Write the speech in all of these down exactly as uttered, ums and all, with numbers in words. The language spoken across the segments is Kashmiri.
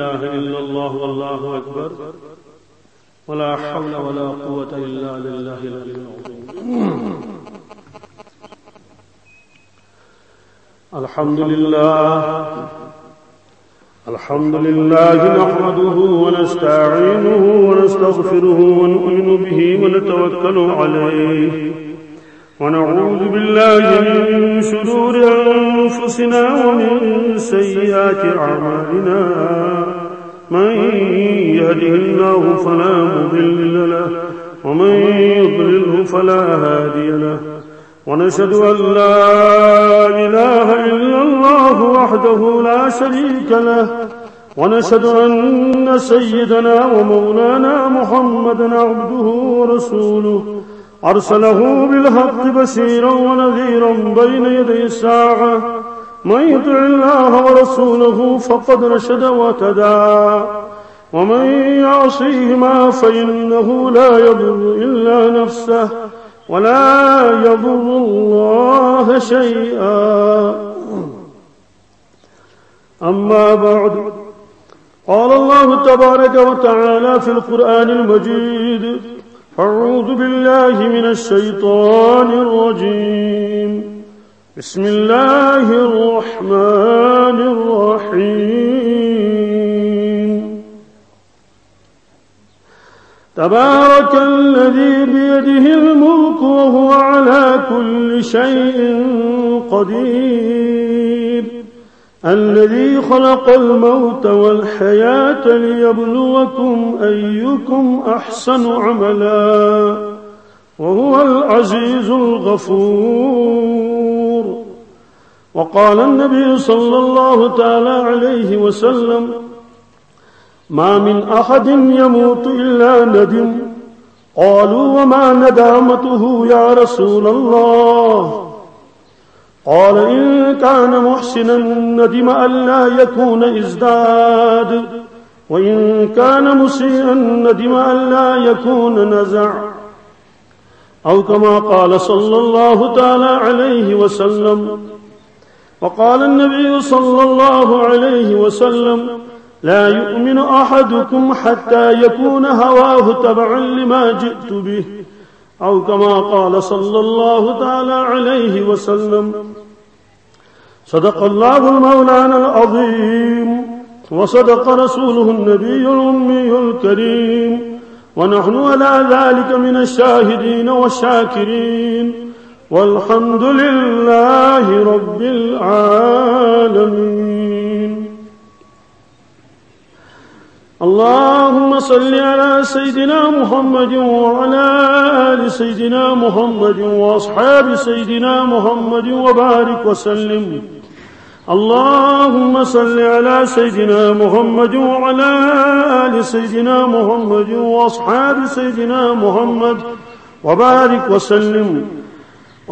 إله إلا الله والله أكبر، ولا حول ولا قوة إلا بالله العلي العظيم. الحمد لله. الحمد لله نحمده ونستعينه ونستغفره ونؤمن به ونتوكل عليه، ونعوذ بالله من شرور أنفسنا ومن سيئات أعمالنا. من يهده الله فلا مضل له، ومن يضلله فلا هادي له. ونشهد أن لا إله إلا الله وحده لا شريك له، ونشهد أن سيدنا ومولانا محمدا عبده ورسوله، أرسله بالحق بشيرا ونذيرا بين يدي الساعة. من يطع الله ورسوله فقد رشد واهتدى، ومن يعصيهما فإنه لا يضر إلا نفسه ولا يضر الله شيئا. أما بعد، قال الله تبارك وتعالى في القرآن المجيد: أعوذ بالله من الشيطان الرجيم. بسم الله الرحمن الرحيم. تبارك الذي بيده الملك وهو على كل شيء قدير. الذي خلق الموت والحياة ليبلوكم أيكم أحسن عملا وهو العزيز الغفور. وقال النبي صلى الله تعالى عليه وسلم: ما من أحد يموت إلا ندم. قالوا: وما ندامته يا رسول الله؟ قال: إن كان محسنا ندم ألا يكون ازداد، وإن كان مسيئا ندم ألا يكون نزع، أو كما قال صلى الله تعالى عليه وسلم. وقال النبي صلى الله عليه وسلم: لا يؤمن أحدكم حتى يكون هواه تبعا لما جئت به، أو كما قال صلى الله تعالى عليه وسلم. صدق الله مولانا العظيم، وصدق رسوله النبي الأمي الكريم، ونحن على ذلك من الشاهدين والشاكرين، والحمد لله رب العالمين. اللهم صل على سيدنا محمد وعلى آل سيدنا محمد وأصحاب سيدنا محمد وبارك وسلم. اللهم صل على سيدنا محمد وعلى آل سيدنا محمد وأصحاب سيدنا محمد وبارك وسلم.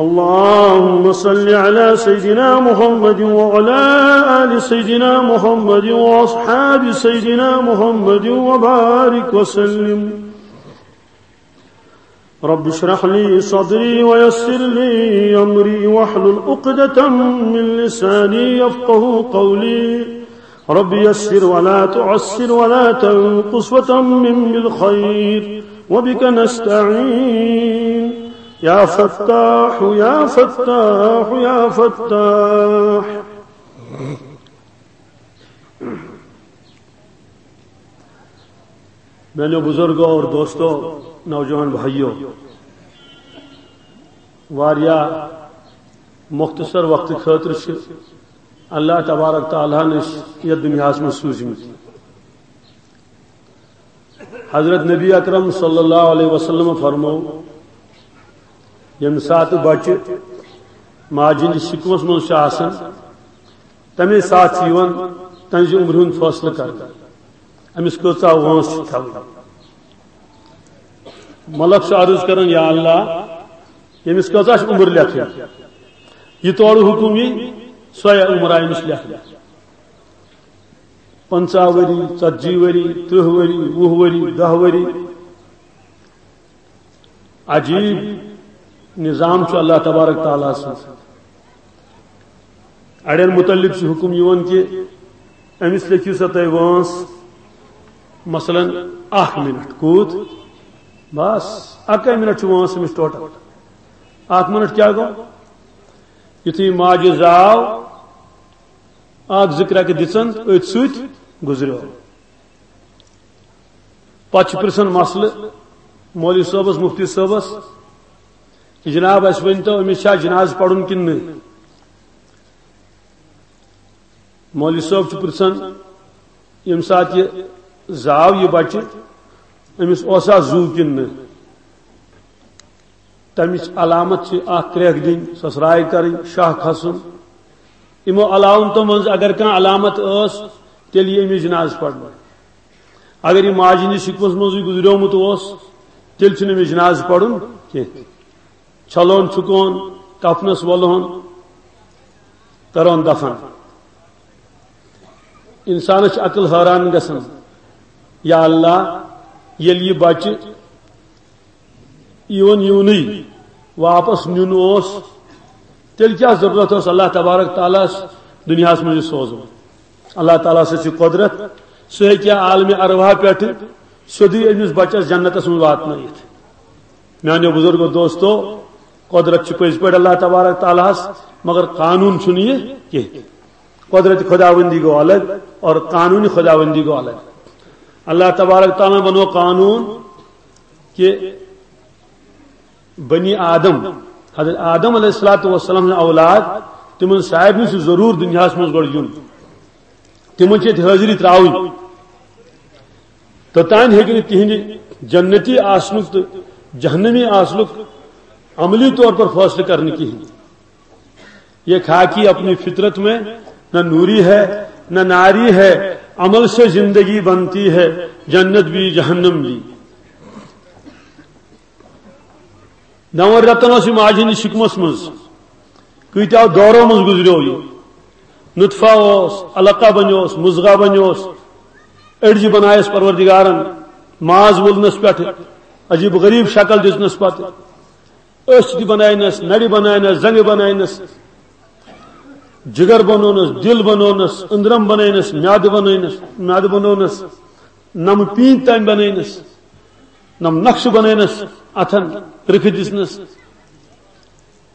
اللهم صل على سيدنا محمد وعلى آل سيدنا محمد وأصحاب سيدنا محمد وبارك وسلم. رب اشرح لي صدري ويسر لي أمري واحلل عقدة من لساني يفقه قولي. رب يسر ولا تعسر ولا تنقص وتمم بالخير وبك نستعين. يا فتاح، يا فتاح، يا فتاح. میانیو بزرگو اور دوستو، نوجوان بھائیو، واریاہ مختصر وقت خٲطرٕ چھِ اللہ تبارک تعالیٰ ہن أسۍ یتھ دُنیاہس منٛز سوٗزمٕتۍ۔ حضرت نبی اکرم صلی اللہ علیہ وسلم فرمو، ییٚمہِ ساتہٕ بچہِ ماجہِ ہٕنٛدِس شِکمس منٛز چھُ آسان، تمے ساتہٕ چھُ یِوان تہنٛزِ عمرِ ہُنٛد فٲصلہٕ کرنہٕ، أمِس کۭژاہ وٲنٛس چھِ تھاوٕنۍ۔ ملک چھُ عرض کران، یا اللہ، ییٚمِس کۭژاہ چھِ عمر لیکھٕنۍ؟ یہِ تورٕ حُکُم یی، سۄے عمر آیہِ أمِس لیکھنہٕ۔ پنٛژاہ ؤری، ژتجی ؤری، ترٕٛہ ؤری، وُہ ؤری، دَہ ؤری۔ عجیب نظام چھُ اللہ تبارک تعالیٰ سُنٛد۔ اڑٮ۪ن متعلق چھُ حُکُم یِوان کہِ أمِس لیکھِو سا تُہۍ وٲنٛس، مثلاً، اکھ منٹ کوٗت؟ بس، اکے منٹ چھُ وٲنٛس أمِس ٹوٹل۔ اکھ منٹ کیٛاہ گوٚو؟ یُتھُے ماجہِ زاو، اکھ زٕ کرٛٮ۪کہٕ دِژن، أتھۍ سۭتۍ گُزریو۔ پتہٕ چھُ پرژھان مسلہٕ مولوی صٲبس، مفتی صٲبس، "جناب، اسہِ ؤنۍ تو، أمِس چھا جنازٕ پرُن کِنہٕ نہٕ؟" مولوی صٲب چھُ پرژھان، "ییٚمہِ ساتہٕ یہِ زاو، یہِ بچہِ، أمِس اوسا زُو کِنہٕ نہٕ؟" تمِچ علامت چھِ اکھ کرٛٮ۪کھ دِنۍ، سۄسراے کرٕنۍ، شاہ کھسُن۔ یِمو علامتو منٛز اگر کانٛہہ علامت ٲس، تیٚلہِ یی أمِس جنازٕ پرنہٕ۔ اگر یہِ ماجہِ ہٕنٛدِس شِکمس منٛزٕے گُزریومُت اوس، تیٚلہِ چھُنہٕ أمِس جنازٕ پرُن کینٛہہ۔ چھلون چھُکون، کفنس ولہون، کرون دفن۔ انسانس چھِ عقل حٲران گژھان، یا اللہ، ییٚلہِ یہِ بچہِ یِوان یِونٕے واپس نیُن اوس، تیٚلہِ کیٛاہ ضروٗرت ٲس اللہ تبارک تعالیٰ ہس دُنیاہس منٛز یہِ سوزُن؟ اللہ تعالیٰ سٕنٛز چھِ قۄدرت، سُہ ہیٚکہِ عالمِ ارواح پٮ۪ٹھٕ سیوٚدُے أمِس بچس جنتس منٛز واتنٲیِتھ۔ میانیو بزرگو دوستو، قۄدرت چھِ پٔزۍ پٲٹھۍ اللہ تبارک تعالیٰ ہس، مگر قانوٗن چھُنہٕ یہِ کینٛہہ۔ قۄدرت خداوندی گوٚو الگ اور قانوٗن خداوندی گوٚو الگ۔ اللہ تبارک تعالیٰ ہن بنوو قانوٗن کہ بنی آدم، حضرت آدم علیہ الصلوۃ والسلام ہٕنٛدۍ اولاد، تِمن سارنٕے چھُ ضروٗر دُنیاہس منٛز گۄڈٕ یُن۔ تِمن چھِ ییٚتہِ حٲضری ترٛاوٕنۍ۔ توٚتام ہیٚکہِ نہٕ تِہنٛدِ جنتی آسنُک تہٕ جہنمی آسنُک عملی طور پر فٲصلہٕ کرنہٕ کِہیٖنۍ۔ یہ خاکی اپنی فطرت میں نہ نوری ہے، نہ ناری ہے، عمل سے زندگی بنتی ہے، جنت بھی جہنم بھی۔ نون رٮ۪تن اوس یہِ ماجہِ ہٕنٛدِس شِکمس منٛز، کۭتیاہ دورو منٛز گُزریو یہِ۔ نطفہ اوس، علقہ بنیوس، مضغہ بنیوس، أڈجہِ بنایس پروردگارن، ماز وولنس پٮ۪ٹھ، عجیب غریب شکل دِژنس پتہٕ۔ أچھ تہِ بناینس، نرِ بناینس، زنگہٕ بناینس، جگر بنونس، دل بنونس، أندرم بناینس، میادٕ بناینس، میادٕ بنونس، نم پیٖنتۍ تام بناینس، نم نقشہٕ بناینس، اتھن رٕکھٕ دِژنس۔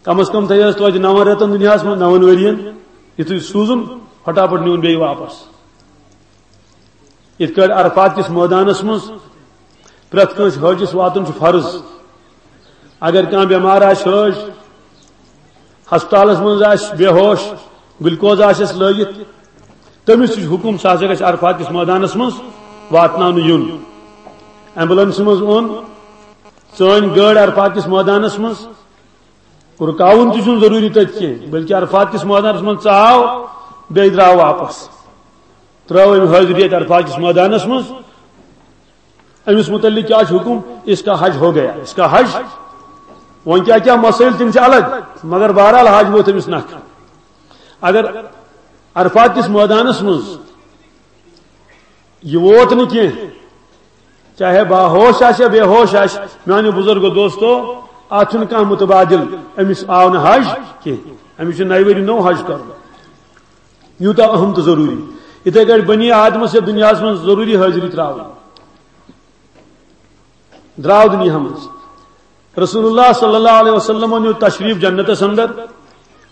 کم از کم تھٲیس توتہِ نون رٮ۪تن دُنیاہس منٛز، نون ؤرین، یُتھُے سوٗزُن، پھٹا پھٹ نیوٗن بیٚیہِ واپس۔ یِتھ کٲٹھۍ عرفات کِس مٲدانس منٛز پرٛٮ۪تھ کٲنٛسہِ حٲجِس واتُن چھُ فرض۔ اگر کانٛہہ بٮ۪مار آسہِ حٲج، ہسپتالس منٛز آسہِ بے ہوش، گلوکوز آسٮ۪س لٲگِتھ، تٔمِس تہِ چھُ حُکُم، سُہ ہسا گژھِ عرفات کِس مٲدانس منٛز واتناونہٕ یُن۔ ایمبولنسہِ منٛز اوٚن، ژٲنۍ گٲڑۍ عرفات کِس مٲدانس منٛز، رُکاوُن تہِ چھُنہٕ ضروٗری تَتہِ کینٛہہ، بلکہِ عرفات کِس مٲدانَس منٛز ژاو، بیٚیہِ درٛاو واپس۔ ترٛٲو أمۍ حٲضری اَتہِ عرفات کِس مٲدانَس منٛز۔ أمِس مُتعلِق کیٛاہ چھُ حُکُم؟ اس کا حج ہو گیا، اس کا حج۔ وۄنۍ کیٛاہ کیٛاہ مسٲیِل، تِم چھِ الگ، مگر بہرحال حج ووت أمِس نکھٕ۔ اگر عرفات کِس مٲدانَس منٛز یہِ ووت نہٕ کینٛہہ، چاہے باہوش آسہِ یا بے ہوش آسہِ، میانیو بزرگو دوستو، اتھ چھُنہٕ کانٛہہ متبادل، أمِس آو نہٕ حج کینٛہہ، أمِس چھُ نَیہِ ؤری نوٚو حج کرُن۔ یوٗتاہ اہم تہٕ ضروٗری۔ یِتھے کٲٹھۍ بنی آدمس یتھ دُنیاہس منٛز ضروٗری حٲضری ترٛاوٕنۍ، درٛاو دُنیاہس منٛز۔ رسول اللہ صلی اللہ علیہ وسلم نیوٗ تشریف جنتس اندر،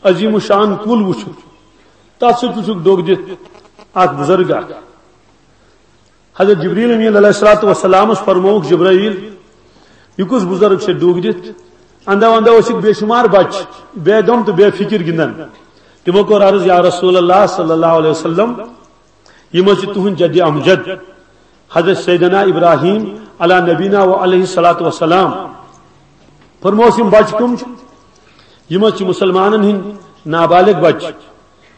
عظیم الشان کُل وُچھُکھ، تتھ سۭتۍ وُچھُکھ ڈوٚگ دِتھ اکھ بزرگ اکھ۔ حضرت جبریل امین علیہ الصلوۃ والسلامس فرمووُکھ، جبرائیل، یہِ کُس بزرگ چھُ ڈوٚگ دِتھ؟ اندو اندو ٲسِکھ بے شمار بچہِ بے غم تہٕ بے فکر گِنٛدان۔ تِمو کوٚر عرض، یا رسول اللہ صلی اللہ علیہ وسلم، یِم حظ چھِ تُہٕنٛدۍ جدِ امجد حضرت سیدنا ابراہیم علی نبینا و علیہ الصلوۃ والسلام۔ فرموس، یِم بچہِ کٕم چھِ؟ یِم حظ چھِ مسلمانن ہٕنٛدۍ نابالغ بچہِ،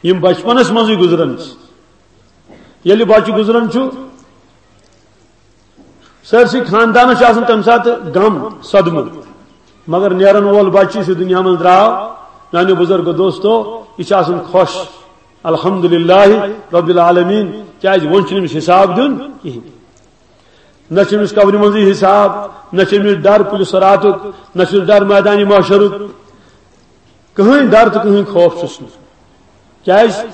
یِم بچپنس منٛزٕے گُزران چھِ۔ ییٚلہِ بچہِ گُزران چھُ، سٲرسٕے خاندانس چھُ آسان تَمہِ ساتہٕ غم، صدمہٕ، مگر نیرن وول بچہِ یُس یہِ دُنیا منٛز درٛاو، میانیو بزرگو دوستو، یہِ چھُ آسان خۄش، الحمدللہ رب العالمین، کیازِ وۄنۍ چھُنہٕ أمِس حساب دیُن کِہیٖنۍ۔ نہ چھُ أمِس قبرِ منٛزٕے حساب، نہ چھُ أمِس ڈر پُلہِ صراطُک، نہ چھُس ڈر میدانِ محشرُک۔ کٕہٕنۍ ڈر تہٕ کٕہٕنۍ خوف چھُس نہٕ۔ کیازِ؟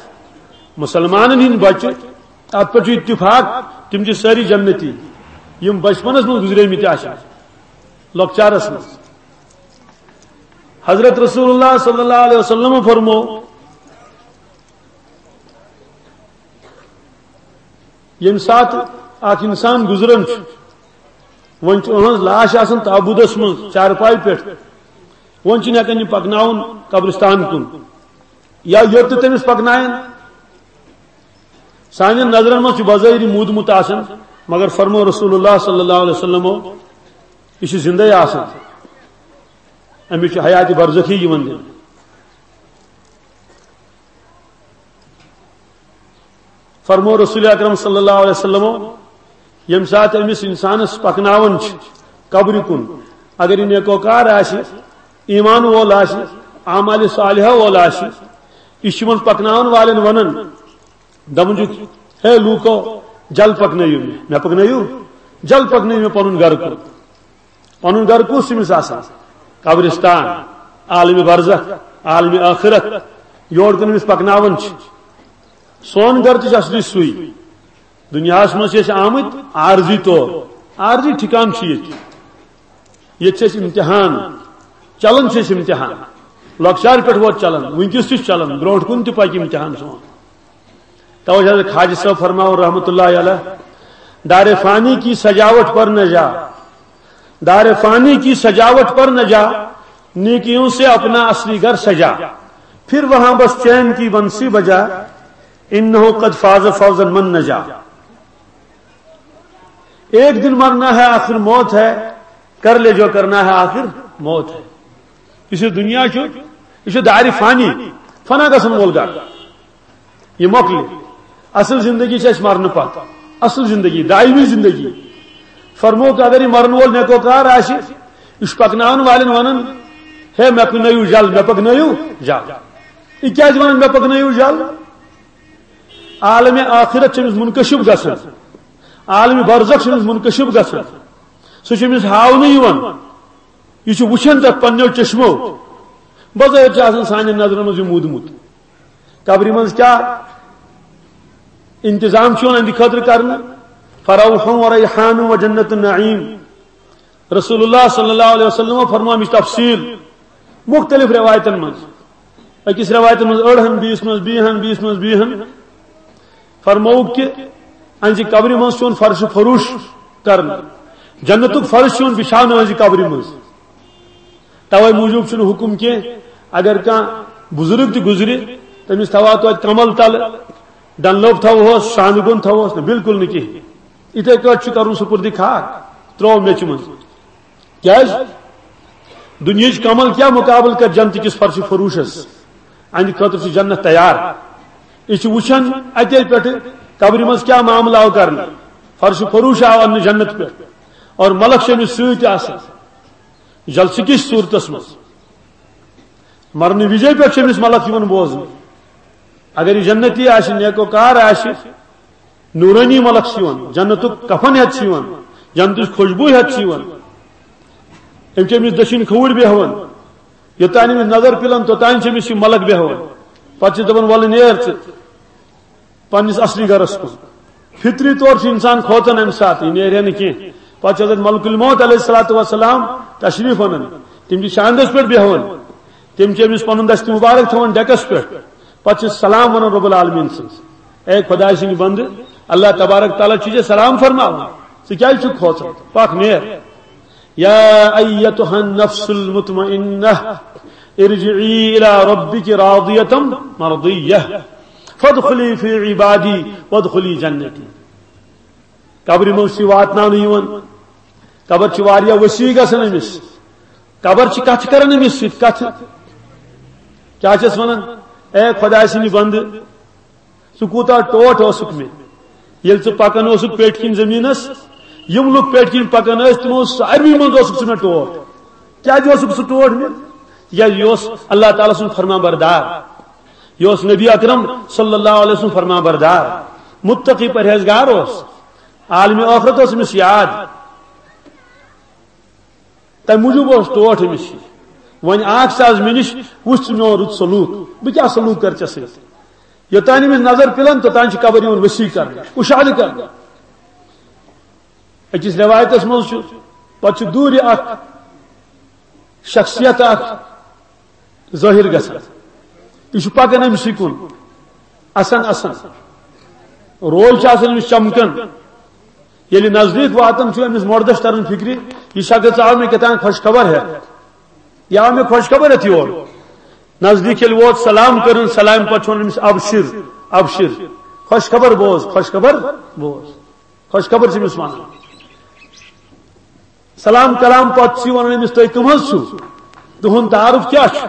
مسلمانن ہٕنٛدۍ بچہِ، اتھ پٮ۪ٹھ چھُ اتفاق، تِم چھِ سٲری جنتی، یِم بچپنس منٛز گُزریمٕتۍ آسن، لۄکچارس منٛز۔ حضرت رسول اللہ صلی اللہ علیہ وسلم فرمو، ییٚمہِ ساتہٕ اکھ انسان گُزران چھُ، وۄنۍ چھُ أہنٛز لاش آسان تابوٗتس منٛز چارپایہِ پٮ۪ٹھ، وۄنۍ چھِنہٕ ہٮ۪کان یہِ پکناوُن قبرستان کُن، یا یوٚت تہِ تٔمِس پکناون۔ سانٮ۪ن نظرن منٛز چھُ بظٲہری موٗدمُت آسان، مگر فرمو رسول اللہ صلی اللہ علیہ وسلمو، یہِ چھُ زندے آسان، أمِس چھُ حیات برزخی یِوان دِنہٕ۔ فرمو رسول اکرم صلی اللہ علیہ وسلمو، ییٚمہِ ساتہٕ أمِس انسانس پکناوان چھِ قبرِ کُن، اگر یہِ نیکوکار آسہِ، ایمان وول آسہِ، اعمال صالحہ وول آسہِ، یہِ چھُ یِمن پکناون والٮ۪ن ونان، دپان چھُ، ہے لوٗکو، جل پکنٲیِو مےٚ، مےٚ پکنٲیِو، جل پکنٲیِو مےٚ پنُن گرٕ کُن۔ پنُن گرٕ کُس چھُ أمِس آسان؟ قبرستان، عالم برزخ، عالم آخرت، یور کُن أمِس پکناوان چھِ۔ سون گرٕ تہِ چھُ اصلی سُے۔ دُنیاہس منٛز چھِ أسۍ آمٕتۍ عارضی طور، عارضی ٹھکان چھُ ییٚتہِ۔ ییٚتہِ چھِ أسۍ امتحان، چلان چھِ أسۍ امتحان۔ لۄکچارٕ پٮ۪ٹھ ووت چلان، وٕنکیٚس تہِ چھُ چلان، برونٛٹھ کُن تہِ پکہِ امتحان سون۔ توے چھُ حضرت خواجہ صٲب فرماوان رحمتہ اللہ علیہ، دار فانی کی سجاوٹ پر نہ جا، دار فانی کی سجاوٹ پر نہ جا، نیکیوں سے اپنا اصلی گھر سجا، پھر وہاں بس چین کی بنسی بجا، انہ قد فاز فوزا من نجا۔ ایک دن مرنا ہے، آخر موت ہے، کر لے جو کرنا ہے، آخر موت ہے۔ یُس یہِ دُنیا چھُ، یہِ چھُ دارِ فانی، فنا گژھن وول گرٕ۔ یہِ مۄکلہِ۔ اصل زندگی چھِ اَسہِ مرنہٕ پتہٕ۔ اصل زندگی، دائمی زندگی۔ فرموو تہٕ اگر یہِ مرن وول نیکوکار آسہِ، یہِ چھُ پکناون والٮ۪ن ونان، ہے مےٚ پکنٲیِو جل، مےٚ پکنٲیِو جل۔ یہِ کیازِ ونان مےٚ پکنٲیِو جل؟ عالم آخرت چھُ أمِس منکشف گژھان، عالم برزخ چھُ أمِس منکشف گژھان، سُہ چھُ أمِس ہاونہٕ یِوان۔ یہِ چھُ وٕچھان تتھ پننیو چشمو۔ بظٲہر چھُ آسان سانٮ۪ن نظرن منٛز یہِ موٗدمُت۔ قبرِ منٛز کیٛاہ انتظام چھُ یِوان أہنٛدِ خٲطرٕ کرنہٕ؟ فروح و ریحان و جنت النعیم۔ رسول اللہ صلی اللہ علیہ وسلم فرماو اَمِچ تفصیل مختلف روایتن منٛز۔ أکِس روایتس منٛز أڑہن، بیٚیِس منٛز بیٚیہِ ہن، بیٚیِس منٛز بیٚیہِ ہن۔ فرمووُکھ کہِ أہنٛزِ قبرِ منٛز چھُ یِوان فرش فروش کرنہٕ۔ جنتُک فرش چھُ یِوان بِچھاونہٕ أہنٛزِ قبرِ منٛز۔ توے موٗجوٗب چھُنہٕ حُکُم کینٛہہ، اگر کانٛہہ بُزرگ تہِ گُزرِ، تٔمِس تھاوہا توتہِ کمل تلہٕ، ڈنلوپ تھاوہوس، شانہٕ گوٚن تھاوہوس نہٕ، بالکل نہٕ کِہیٖنۍ۔ یِتھے کٲٹھۍ چھُ کرُن سُپُردِ خاک، ترٛوو میٚژِ منٛز۔ کیازِ؟ دُنیہٕچ کمل کیٛاہ مُقابلہٕ کرِ جنتہٕ کِس فرشِ فروشس؟ اَہنٛدِ خٲطرٕ چھِ جنت تیار۔ یہِ چھِ وٕچھان اَتے پٮ۪ٹھٕ قبرِ منٛز کیٛاہ معاملہٕ آو کرنہٕ۔ فرشِ فروش آو اننہٕ جنت پٮ۪ٹھ اور ملک چھِ أمِس سۭتۍ آسان۔ جلسہٕ کِس صوٗرتس منٛز۔ مرنہٕ وِزے پٮ۪ٹھ چھِ أمِس ملک یِوان بوزنہٕ۔ اگر یہِ جنتی آسہِ، نیکوکار آسہِ، نورانی ملک چھِ یِوان، جنتُک کفن ہٮ۪تھ چھِ یِوان، جنتٕچ خوشبوٗ ہٮ۪تھ چھِ یِوان۔ أمۍ چھِ أمِس دٔچھِنۍ کھووُر بیٚہوان۔ یوٚتانۍ أمِس نظر پِلان، توٚتانۍ چھِ أمِس یہِ ملک بیٚہوان۔ پتہٕ چھِ دَپان، "وَلہٕ نیر ژٕ پننِس اصلی گرس کُن۔" فطری طور چھُ انسان کھوژان امہِ ساتہٕ، یہِ نیرِ ہا نہٕ کینٛہہ۔ پتہٕ چھُ حضرت ملک الموت علیہ الصلوۃ والسلام تشریف انان۔ تِم چھِ شاندس پٮ۪ٹھ بیہوان۔ تِم چھِ أمِس پنُن دست مبارک تھاوان ڈیکس پٮ۪ٹھ۔ پتہٕ چھِ سلام ونان رب العالمین سٕنٛز۔ اے خداے سٕنٛدۍ بندٕ، اللہ تبارک تعالیٰ چھُ ژےٚ سلام فرماوان۔ ژٕ کیازِ چھُکھ کھوژان؟ پکھ نیر۔ یا ایتها النفس المطمئنہ، ارجعی الی ربک راضیة مرضیہ، فادخلی فی عبادی وادخلی جنتی۔ قبرِ منٛز چھِ واتناونہٕ یِوان۔ قبر چھِ واریاہ وسیع گژھان أمِس۔ قبر چھِ کتھٕ کران أمِس سۭتۍ، کتھٕ۔ کیٛاہ چھَس ونان؟ اے خداے سٕنٛدِ بندٕ، ژٕ کوٗتاہ ٹوٹھ اوسُکھ مےٚ۔ ییٚلہِ ژٕ پکان اوسُکھ پیٹھۍ کِنۍ زٔمیٖنس، یِم لُکھ پیٹھۍ کِنۍ پکان ٲسۍ، تِمو ساروی منٛز اوسُکھ ژٕ مےٚ ٹوٹھ۔ کیٛازِ اوسُکھ سُہ ٹوٹھ مےٚ؟ تِکیٛازِ یہِ اوس اللہ تعالیٰ سُنٛد فرمان بردار، یہِ اوس نبی اکرم صلی اللہ علیہ وسلم فرمان بردار، متقی پرہیزگار اوس، عالمِ ٲخرت اوس أمِس یاد۔ تَمہِ موٗجوٗب اوس ٹوٹھ أمِس یہِ۔ وۄنۍ آکھ ژٕ از مےٚ نِش، وٕچھ ژٕ میون رُت سلوٗک، بہٕ کیٛاہ سلوٗک کرٕ ژےٚ سۭتۍ؟ یوٚتانۍ أمِس نظر پِلان، توٚتانۍ چھِ قبر یِوان ؤسیع کرنہٕ، اُشادٕ کرنہٕ۔ أکِس رٮ۪وایتَس منٛز چھُ، پَتہٕ چھُ دوٗرِ اَکھ شخصیت اَکھ ظٲہِر گژھان۔ یہِ چھُ پَکان أمۍ سٕے کُن، اَسان اَسان۔ روے چھُ آسان أمِس چمکان۔ ییٚلہِ نزدیٖک واتان چھُ، أمِس مۄردَس تَران فِکرِ، یہِ شخص آو مےٚ کیٛاہ تام خۄش خبر ہٮ۪تھ۔ یہِ آو مےٚ خۄش خبر ہٮ۪تھ یور۔ نزدیٖک ییٚلہِ ووت، سلام کٔرٕن، سلامہِ پَتہٕ چھُ وَنان أمِس، "ابشر، ابشر، خۄش خبر بوز، خۄش خبر بوز۔" خۄش خبر چھِ أمِس وَنان۔ سلام کلام پتہٕ چھِ وَنان أمِس، "تُہۍ کٕم حظ چھِو؟ تُہُنٛد تعارُف کیٛاہ چھُ؟"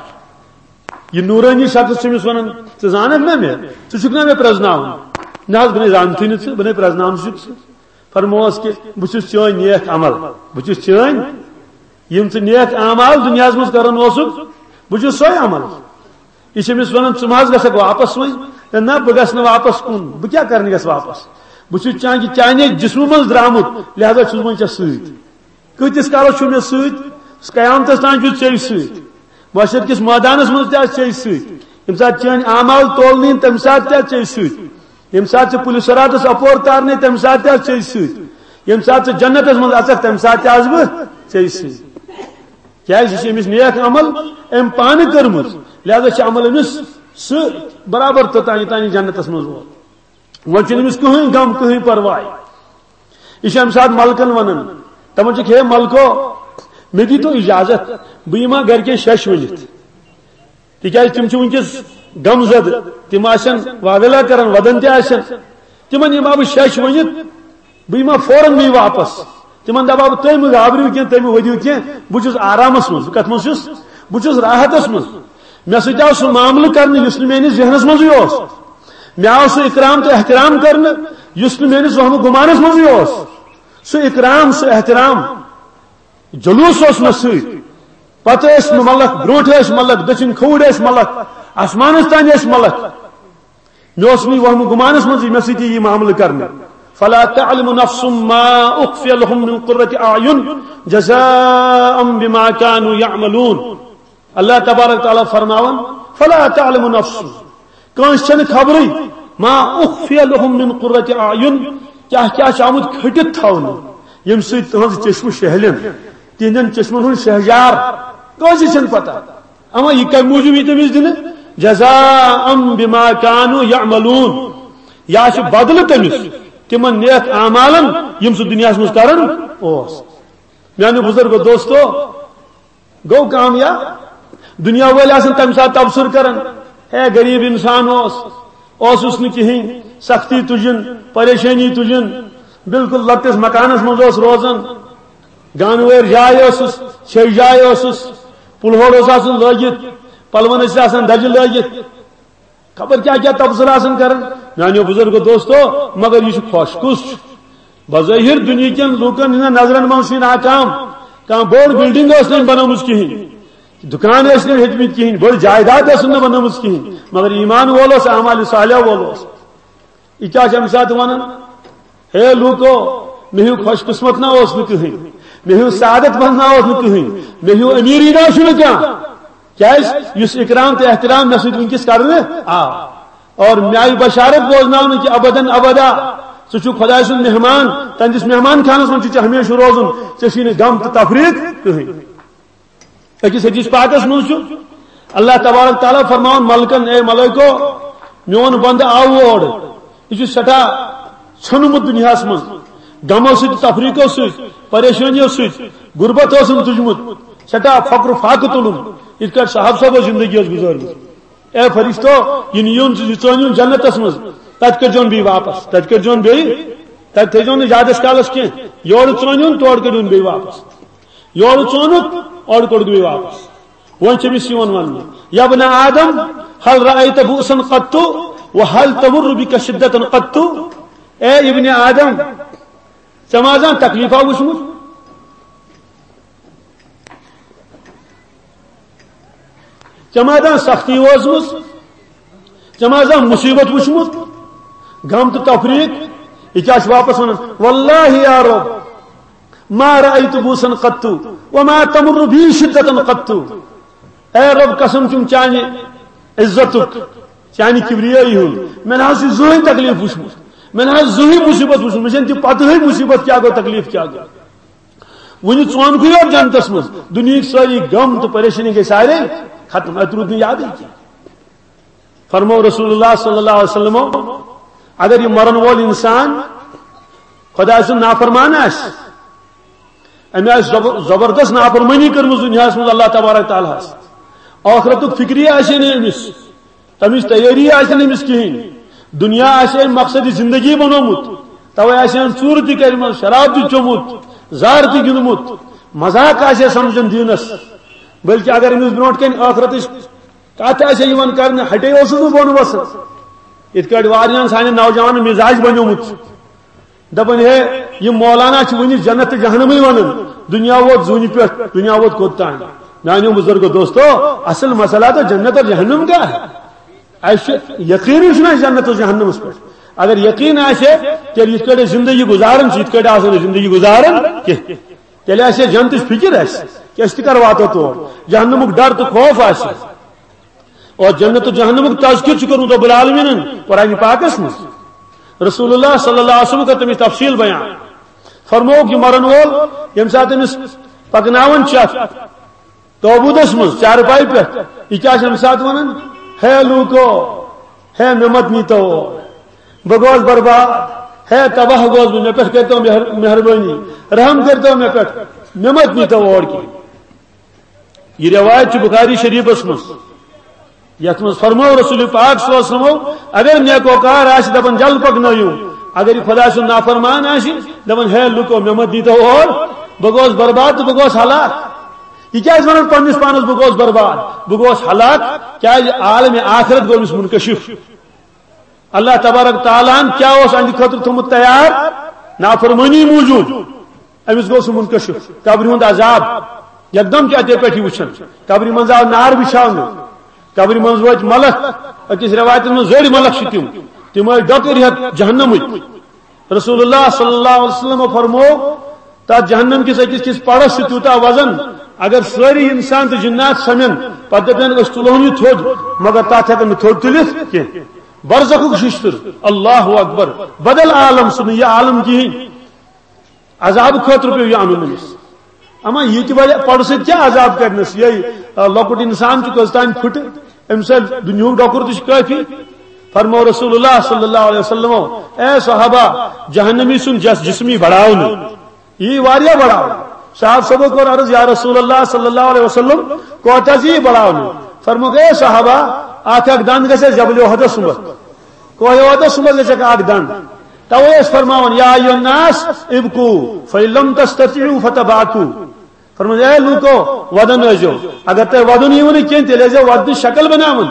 یہِ نوٗرٲنی شخص چھُ أمِس وَنان، "ژٕ زانَکھ نا مےٚ؟ ژٕ چھُکھ نا مےٚ پرٛزناوُن؟" "نہ حظ، بہٕ نے زانتھٕے نہٕ ژٕ، بہٕ نے پرٛزناونہٕ چھُکھ ژٕ۔" فرمووُس کہِ، "بہٕ چھُس چٲنۍ نیک عمل، بہٕ چھُس چٲنۍ، یِم ژٕ نیک اعمال دُنیاہَس منٛز کران اوسُکھ، بہٕ چھُس سۄے عمل۔" یہِ چھِ أمِس وَنان، "ژٕ ما حظ گژھکھ واپس وۄنۍ؟" "ہے نہ، بہٕ گژھٕ نہٕ واپس کُن، بہٕ کیٛاہ کرنہِ گژھٕ واپس؟ بہٕ چھُس چانہِ، چانہِ جسمہٕ منٛز درٛامُت، لہذا چھُس بہٕ وۄنۍ ژےٚ سۭتۍ۔" کۭتِس کالس چھُ مےٚ سۭتۍ؟ قیامتس تام چھُ ژےٚ سۭتۍ۔ محشر کِس مٲدانس منٛز تہِ آسہِ ژےٚ سۭتۍ۔ ییٚمہِ ساتہٕ چٲنۍ اعمال تولنہٕ یِن، تَمہِ ساتہٕ تہِ آسہِ ژےٚ سۭتۍ۔ ییٚمہِ ساتہٕ ژٕ پُلہِ صراطس اپور تارنَے، تَمہِ ساتہٕ تہِ آسہِ ژےٚ سۭتۍ۔ ییٚمہِ ساتہٕ ژٕ جنتس منٛز اژکھ، تَمہِ ساتہٕ تہِ آسہٕ بہٕ ژےٚ سۭتۍ۔ کیٛازِ؟ یہِ چھِ أمِس نیک عمل أمۍ پانہٕ کٔرمٕژ، لہذا چھِ عمل أمِس سۭتۍ برابر توٚتام، یوٚتام یہِ جنتس منٛز ووت۔ وۄنۍ چھُنہٕ أمِس کٕہٕنۍ غم، کٕہٕنۍ پرواے۔ یہِ چھُ اَمہِ ساتہٕ ملکن وَنان، دَپان چھِکھ، "ہے ملکو، مےٚ دیٖتو اِجازت، بہٕ یِمہٕ ہا گرِکٮ۪ن شٮ۪ش ؤنِتھ، تِکیٛازِ تِم چھِ وٕنکیٚس غم زدٕ، تِم آسن واویلا کران، وَدان تہِ آسن، تِمن یِمہٕ ہا بہٕ شٮ۪ش ؤنِتھ، بہٕ یِمہٕ ہا فوراً بیٚیہِ واپس۔" تِمن دَپہٕ ہا بہٕ، "تُہۍ مہٕ گابرِو کینٛہہ، تُہۍ مہٕ ؤدِو کینٛہہ، بہٕ چھُس آرامس منٛز۔" بہٕ کتھ منٛز چھُس؟ بہٕ چھُس راحتس منٛز۔ مےٚ سۭتۍ آو سُہ معاملہٕ کرنہٕ یُس نہٕ میٲنِس ذہنس منٛزٕے اوس۔ مےٚ آو سُہ اکرام تہٕ احترام کرنہٕ یُس نہٕ میٲنِس وہمہٕ گُمانس منٛزٕے اوس۔ سُہ اکرام، سُہ احترام، جلوس اوس مےٚ سۭتۍ۔ پتہٕ ٲسۍ ملک، برونٛٹھ ٲسۍ ملک، دٔچھِنۍ کھووُر ٲسۍ ملک، آسمانس تام ٲسۍ ملک۔ مےٚ اوس نہٕ یہِ وہمہٕ گُمانس منٛزٕے مےٚ سۭتۍ یہِ معاملہٕ کرنہٕ۔ فلا تعلم نفس ما اخفی لهم من قرة اعین جزاء بما كانوا يعملون۔ اللہ تبارک تعالیٰ فرماوان، فلا تعلم نفس، کٲنٛسہِ چھنہٕ خبرٕے، ما اخفی لهم من قرة اعین، کیٛاہ کیٛاہ چھُ آمُت کھٔٹِتھ تھاونہٕ، ییٚمہِ سۭتۍ تُہنٛز چشمہٕ شہلن، تِہنٛدٮ۪ن چشمن ہُنٛد شہجار، کٲنٛسہِ چھنہٕ پتہ۔ اما یہِ کمہِ موٗجوٗب یی تٔمِس دِنہٕ؟ جزاء بما كانوا يعملون، یا چھُ بدلہٕ تٔمِس تِمن نیک اعمالن یِم سُہ دُنیاہس منٛز کران اوس۔ میانیو بزرگو دوستو، گوٚو کامیاب۔ دُنیا وٲلۍ آسن تمہِ ساتہٕ تبصرٕ کران، "ہے غریب انسان اوس، اوسُس نہٕ کِہینۍ، سختی تُجِن، پریشٲنی تُجِن، بالکل لۄکٹِس مکانس منٛز اوس روزان، گانہٕ وٲرۍ جاے ٲسٕس، ژھیٚے جاے ٲسٕس، پُلہور اوس آسان لٲگِتھ، پلون ٲسۍ آسان دَجہِ لٲگِتھ۔" خبر کیٛاہ کیٛاہ تبصرٕ آسان کران۔ میانیو بزرگو دوستو، مگر یہِ چھُ خۄش کُس چھُ؟ بظٲہِر دُنیہکٮ۪ن لوٗکن ہٕنٛدٮ۪ن نظرن منٛز چھُ یہِ ناکام۔ کانٛہہ بٔڑ بلڈنگ ٲس نہٕ أمۍ بنٲومٕژ کِہینۍ، دُکان ٲسۍ نہٕ ہیٚتمٕتۍ کِہینۍ، بٔڑ جائیداد ٲسٕن نہٕ بنٲومٕژ کِہینۍ، مگر ایمان وول اوس، اعمال صالح وول اوس۔ یہِ کیٛاہ چھِ اَمہِ ساتہٕ وَنان؟ ہے لوٗکو، مےٚ ہیوٗ خۄش قٕسمت نہ اوس نہٕ کٕہٕنۍ، مےٚ ہیوٗ سعادت منٛد نہ اوس نہٕ کٕہٕنۍ، مےٚ ہیوٗ أمیٖری نہ اوس نہٕ کانٛہہ۔ کیٛازِ؟ یُس اِکرام تہٕ احترام مےٚ سۭتۍ وٕنکیٚس کرنہٕ آو۔ اور مےٚ آیہِ بشارت بوزناونہٕ کہِ ابداً ابدا ژٕ چھُکھ خۄداے سُنٛد مہمان، تہنٛدِس مہمان خانس منٛز چھُ ژےٚ ہمیشہٕ روزُن، ژےٚ چھُے نہٕ غم تہٕ تفریٖق کٕہٕنۍ۔ أکِس حدیث پاکس منٛز چھُ اللہ تبارک تعالیٰ فرماوان ملکن، "اے ملائکو، میون بندٕ آو اور، یہِ چھُ سٮ۪ٹھاہ ژھیوٚنمُت دُنیاہس منٛز، غمو سۭتۍ، تفریٖقو سۭتۍ، پریشٲنیو سۭتۍ، غربت اوسُن تُجمُت، سٮ۪ٹھاہ فقر و فاقہٕ تُلُن، یِتھ کٲٹھۍ صاحب صٲبو زندگی ٲس گُزٲرمٕژ۔ اے فرشتو، یہِ نِیُن، یہِ ژٲنِیُن جنتس منٛز، تتہِ کٔرۍزیون بیٚیہِ واپس، تتہِ کٔرۍزیون بیٚیہِ، تتہِ تھٲیزیون نہٕ زیادس کالس کینٛہہ، یورٕ ژٲنِیُن، تورٕ کٔرۍہُن بیٚیہِ واپس۔" یورٕ ژوٚنُکھ، اورٕ کوٚڑُکھ بیٚیہِ واپس۔ وۄنۍ چھِ أمِس یِوان وننہٕ، "یا ابن آدم، هل رأيت بؤسا قط؟ وهل تمر بك شدة قط؟" اے ابن آدم، ژےٚ ما زانٛہہ تکلیفا وٕچھمُت؟ ژےٚ ما زانٛہہ سختی وٲژمٕژ؟ ژےٚ ما زانٛہہ مُصیبت وٕچھمُت؟ غم تہٕ تفریٖق؟ یہِ کیٛاہ چھُ واپس ونان؟ "والله يا رب، ما رأيت بؤسا قط، وما تمر بي شدة قط۔" اے رب، قسم چھُم چانہِ عزتُک، چانہِ کبریٲیی ہُنٛد، مےٚ نہ حظ چھُ زٕہٕنۍ تکلیف وٕچھمُت، مےٚ نہ حظ زٕہٕے مُصیبت وٕچھمُت، مےٚ چھَنہٕ تہِ پتہٕے مُصیبت کیٛاہ گوٚو، تکلیٖف کیٛاہ گوٚو۔ وٕنہِ ژونکُے یوت جنتس منٛز، دُنیہٕکۍ سٲری غم تہٕ پریشٲنی گٔے سارے ختم، اتہِ روٗد نہٕ یادٕے کینٛہہ۔ فرموو رسول اللہ صلی اللہ علیہ وسلمو، اگر یہِ مرن وول انسان خۄداے سُنٛد نافرمان آسہِ، أمۍ آسہِ زب-، زبردست نافرمٲنی کٔرمٕژ دُنیاہَس منٛز اللہ تبارک تعالیٰ ہَس، ٲخرتُک فکری آسہِ ہے نہٕ أمِس، تَمِچ تیٲری آسہِ نہٕ أمِس کِہیٖنۍ، دُنیا آسہِ ہے أمۍ مقصد زندگی بنومُت، توے آسہِ ہے أمۍ ژوٗرٕ تہِ کٔرمٕژ، شراب تہِ چوٚمُت، زار تہِ گِنٛدمُت، مذاق آسہِ ہے سمجھان دیٖنَس، بلکہ اگر أمِس برونٛٹھ کَنہِ ٲخرتٕچ کتھ آسہِ یِوان کرنہٕ، ہٹے اوسُس نہٕ بۄن وسان۔ یِتھ کٲٹھۍ واریاہن سانٮ۪ن نوجوانن مزاج بنیومُت۔ دپان، ہے، یِم مولانا چھِ وُنہِ جنت تہٕ جہنمٕے ونان۔ دُنیا ووت زوٗنہِ پٮ۪ٹھ، دُنیا ووت کوٚت تام؟ میانیو بزرگو دوستو، اصل مسئلہ تو جنت اور جہنم کا ہے۔ اسہِ چھُ یقینٕے چھُنہٕ اسہِ جنت اور جہنمس پٮ۪ٹھ۔ اگر یقین آسہِ ہے، تیٚلہِ یِتھ کٲٹھۍ أسۍ زندگی گُزاران چھِ، یِتھ کٲٹھۍ آسو نہٕ زندگی گُزاران کینٛہہ۔ تیٚلہِ آسہِ ہے جنتٕچ فکر اسہِ، کہِ أسۍ تہِ کر واتو تور۔ جہنمُک ڈر تہٕ خوف آسہِ۔ اور جنت و جہنمُک تذکر چھُ کوٚرمُت رب العالمینن قرآن پاکس منٛز۔ رسول اللہ صلی اللہ علیہ وسلم کٔر تَمِچ تفصیل بیان۔ فرمووُکھ، یہِ مرن وول، ییٚمہِ ساتہٕ أمِس پکناوان چھِ اَتھ تابوٗتس منٛز چارپایہِ پٮ۪ٹھ، یہِ کیٛاہ چھِ اَمہِ ساتہٕ وَنان؟ ہے لوٗکو، ہے مےٚ مت نیٖتو اور، بہٕ گوس برباد، ہے تباہ گوس بہٕ، مےٚ پٮ۪ٹھ کٔرۍتو مہر-، مہربٲنی، رحم کٔرۍتو مےٚ پٮ۪ٹھ، مےٚ مت نیٖتو اور کینٛہہ۔ یہ روایت چھِ بخاری شریفس منٛز، یتھ منٛز فرموو رسول پاک صلی اللہ علیہ وسلمو، اگر نیکوکار آسہِ دپان جل پکنٲیِو، اگر یہِ خۄداے سُنٛد نافرمان آسہِ دپان ہے لُکو مےٚ مہ دیٖتو اور، بہٕ گوس برباد تہٕ بہٕ گوس ہلاک۔ یہِ کیٛازِ ونان پننِس پانس بہٕ گوس برباد، بہٕ گوس ہلاک؟ کیٛازِ عالم آخرت گوٚو أمِس منکشف۔ اللہ تبارک تعالیٰ ہن کیا اوس اہندِ خٲطرٕ تھوٚمُت تیار؟ نافرمٲنی موٗجوٗب۔ أمِس گوٚو سُہ منکشف، قبرِ ہُنٛد عذاب، یکدم چھُ اتے پٮ۪ٹھ یہِ وٕچھان۔ قبرِ منٛز آو نار بِچھاونہٕ، قبرِ منٛز وٲتۍ ملک، أکِس رٮ۪وایتس منٛز زٔڑۍ ملک چھِ تِم، تِم ٲسۍ ڈۄکٕرۍ ہٮ۪تھ جہنمٕکۍ۔ رسول اللہ صلی اللہ علیہ وسلم فرموو، تتھ جہنم کِس أکِس کِس پڑس چھُ تیوٗتاہ وزن، اگر سٲری انسان تہٕ جنات سمن، پتہٕ دپن أسۍ تُلہون یہِ تھوٚد، مگر تتھ ہٮ۪کن نہٕ تھوٚد تُلِتھ کینٛہہ۔ برزخُک ششتر، اللہ اکبر، بدل عالم، سُہ نہٕ یہِ عالم کِہیٖنۍ۔ عذاب خٲطرٕ پیوٚو یہِ اَنُن أمِس۔ اما یہِ تہِ وَلہِ پَڑٕ سۭتۍ کیٛاہ عذاب کَرنَس؟ یہِ، آ، لۄکُٹ اِنسان چھُ کٔژ تام پھٕٹہٕ، أمِس آسہِ دُنیاہُک ڈۄکُر تہِ چھُ کٲفی۔ فرموو رسول اللہ صلی اللہ علیہ وسلمو، اے صحابہ، جہنمی سُنٛد جس-، جسمی بڑاونہٕ۔ یی واریاہ بڑاونہٕ۔ صحابہ صٲبو کوٚر عرض، یا رسول اللہ صلی اللہ علیہ وسلم، کوتاہ زِ یی بڑاونہٕ؟ فرمووُکھ، اے صحابہ، اَتھ اکھ دَنٛد گژھِ اَسہِ جبل احدس سُمبتھ۔ کوہ احدس سُمبتھ گژھِ اکھ دَنٛد۔ توے ٲسۍ فرماوان، یا ایھا الناس ابکو فإن لم تستطیعوا فتباکو۔ فرمووُن، اے لوٗکو، وَدُن ٲسۍزیو۔ اگر تۄہہِ وَدُن یِیوٕ نہٕ کینٛہہ، تیٚلہِ ٲسۍزیو وَدنٕچ شکل بناوان۔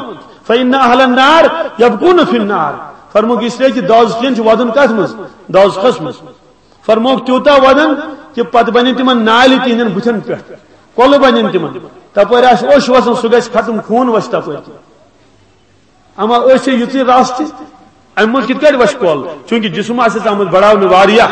فإن أهل النار يبكون في النار۔ فرمووُکھ، اس لیے کہ دوزخین چھِ وَدُن کتھ منٛز؟ دوزخس منٛز۔ فرمووُکھ، تیوٗتاہ وَدُن کہ پتہٕ بنن تِمن نالہِ تِہنٛدٮ۪ن بُتھٮ۪ن پٮ۪ٹھ، کۄلہٕ بنن تِمن۔ تپٲرۍ آسہِ اوٚش وسان، سُہ گژھِ ختم، خوٗن وسہِ تپٲرۍ۔ اما أسۍ چھِ یِژٕے رژھ تہِ، اَمہِ منٛز کِتھ کٲٹھۍ وَسہِ کۄل؟ چوٗنٛکہِ جسم آسہِ ژامُت بڑاونہٕ واریاہ۔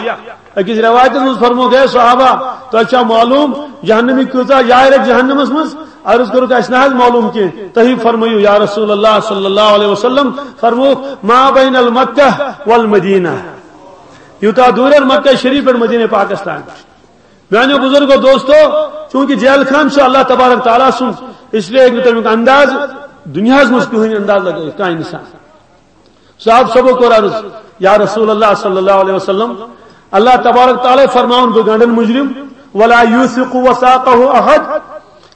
أکِس رٮ۪وایتَس منٛز فرمووُکھ، ہے صحابہ، تۄہہِ چھا معلوٗم جہنمی کۭژاہ جاے رَٹہِ جہنمَس منٛز؟ عرض کوٚرُکھ، اَسہِ نہ حظ معلوٗم کینٛہہ، تُہی فرمٲیِو یا رسول اللہ صلی اللہ علیہ وسلم۔ فرمووُکھ، ما بین المکہ والمدینہ، یوٗتاہ دوٗر مکہ شریف پٮ۪ٹھ مدینہ پاکس تام۔ میانیو بزرگو دوستو، چونکہ جیل خان چھُ اللہ تبارک تعالیٰ سُنٛد، اس لیے ہیٚکہِ نہٕ تمیُک انداز دُنیاہس منٛز کٕہٕنۍ انداز لگٲوِتھ کانٛہہ انسان۔ صاحب صٲبو کوٚر عرض، یا رسول اللہ صلی اللہ علیہ وسلم، اللہ تبارک تعالیٰ فرماوُن بہٕ گنڈن مجرم، ولا یوثق وثاقہ احد،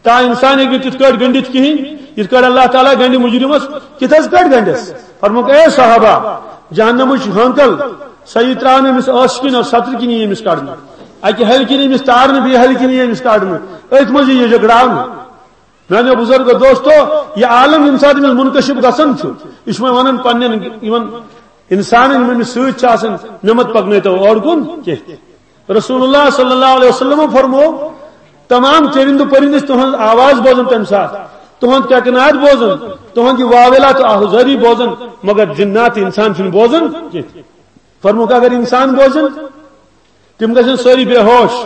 کانٛہہ انسان ہیٚکہِ نہٕ تِتھ کٲٹھۍ گٔنڈِتھ کِہیٖنۍ، یِتھ کٲٹھۍ اللہ تعالیٰ گنڈِ مجرمس۔ کِتھ حظ کٲٹھۍ گنڈس؟ فرمووُکھ، اے صحابہ، جہنمٕچ ہٲنکل، سۄ یی ترٛاونہٕ أمِس ٲسہٕ کِنۍ اور سترِ کِنۍ یی أمِس کڑنہٕ۔ اکہِ ہلہِ کِنۍ أمِس تارنہٕ، بیٚیہِ ہلہِ کِنۍ یی أمِس کڑنہٕ۔ أتھۍ منٛز یی یہِ جگڑاونہٕ۔ میانیو بزرگو دوستو، یہِ عالم ییٚمہِ ساتہٕ أمِس منکشف گژھان چھُ، یہِ چھُ وۄنۍ ونان پننٮ۪ن یِمن انسانن، یِم أمِس سۭتۍ چھِ آسان، مےٚ مت پکنٲیتو اور کُن کینٛہہ۔ رسول اللہ صلی اللہ علیہ وسلم فرموو، تمام چرندٕ پرندٕ چھِ تُہنٛز آواز بوزان تمہِ ساتہٕ، تُہنٛد کیکناد بوزان، تُہنٛد یہِ واویلا تہٕ آہوزٲری بوزان، مگر جنات تہٕ انسان چھِنہٕ بوزان کینٛہہ۔ فرمووُکھ، اگر انسان بوزن، تِم گژھن سٲری بے ہوش،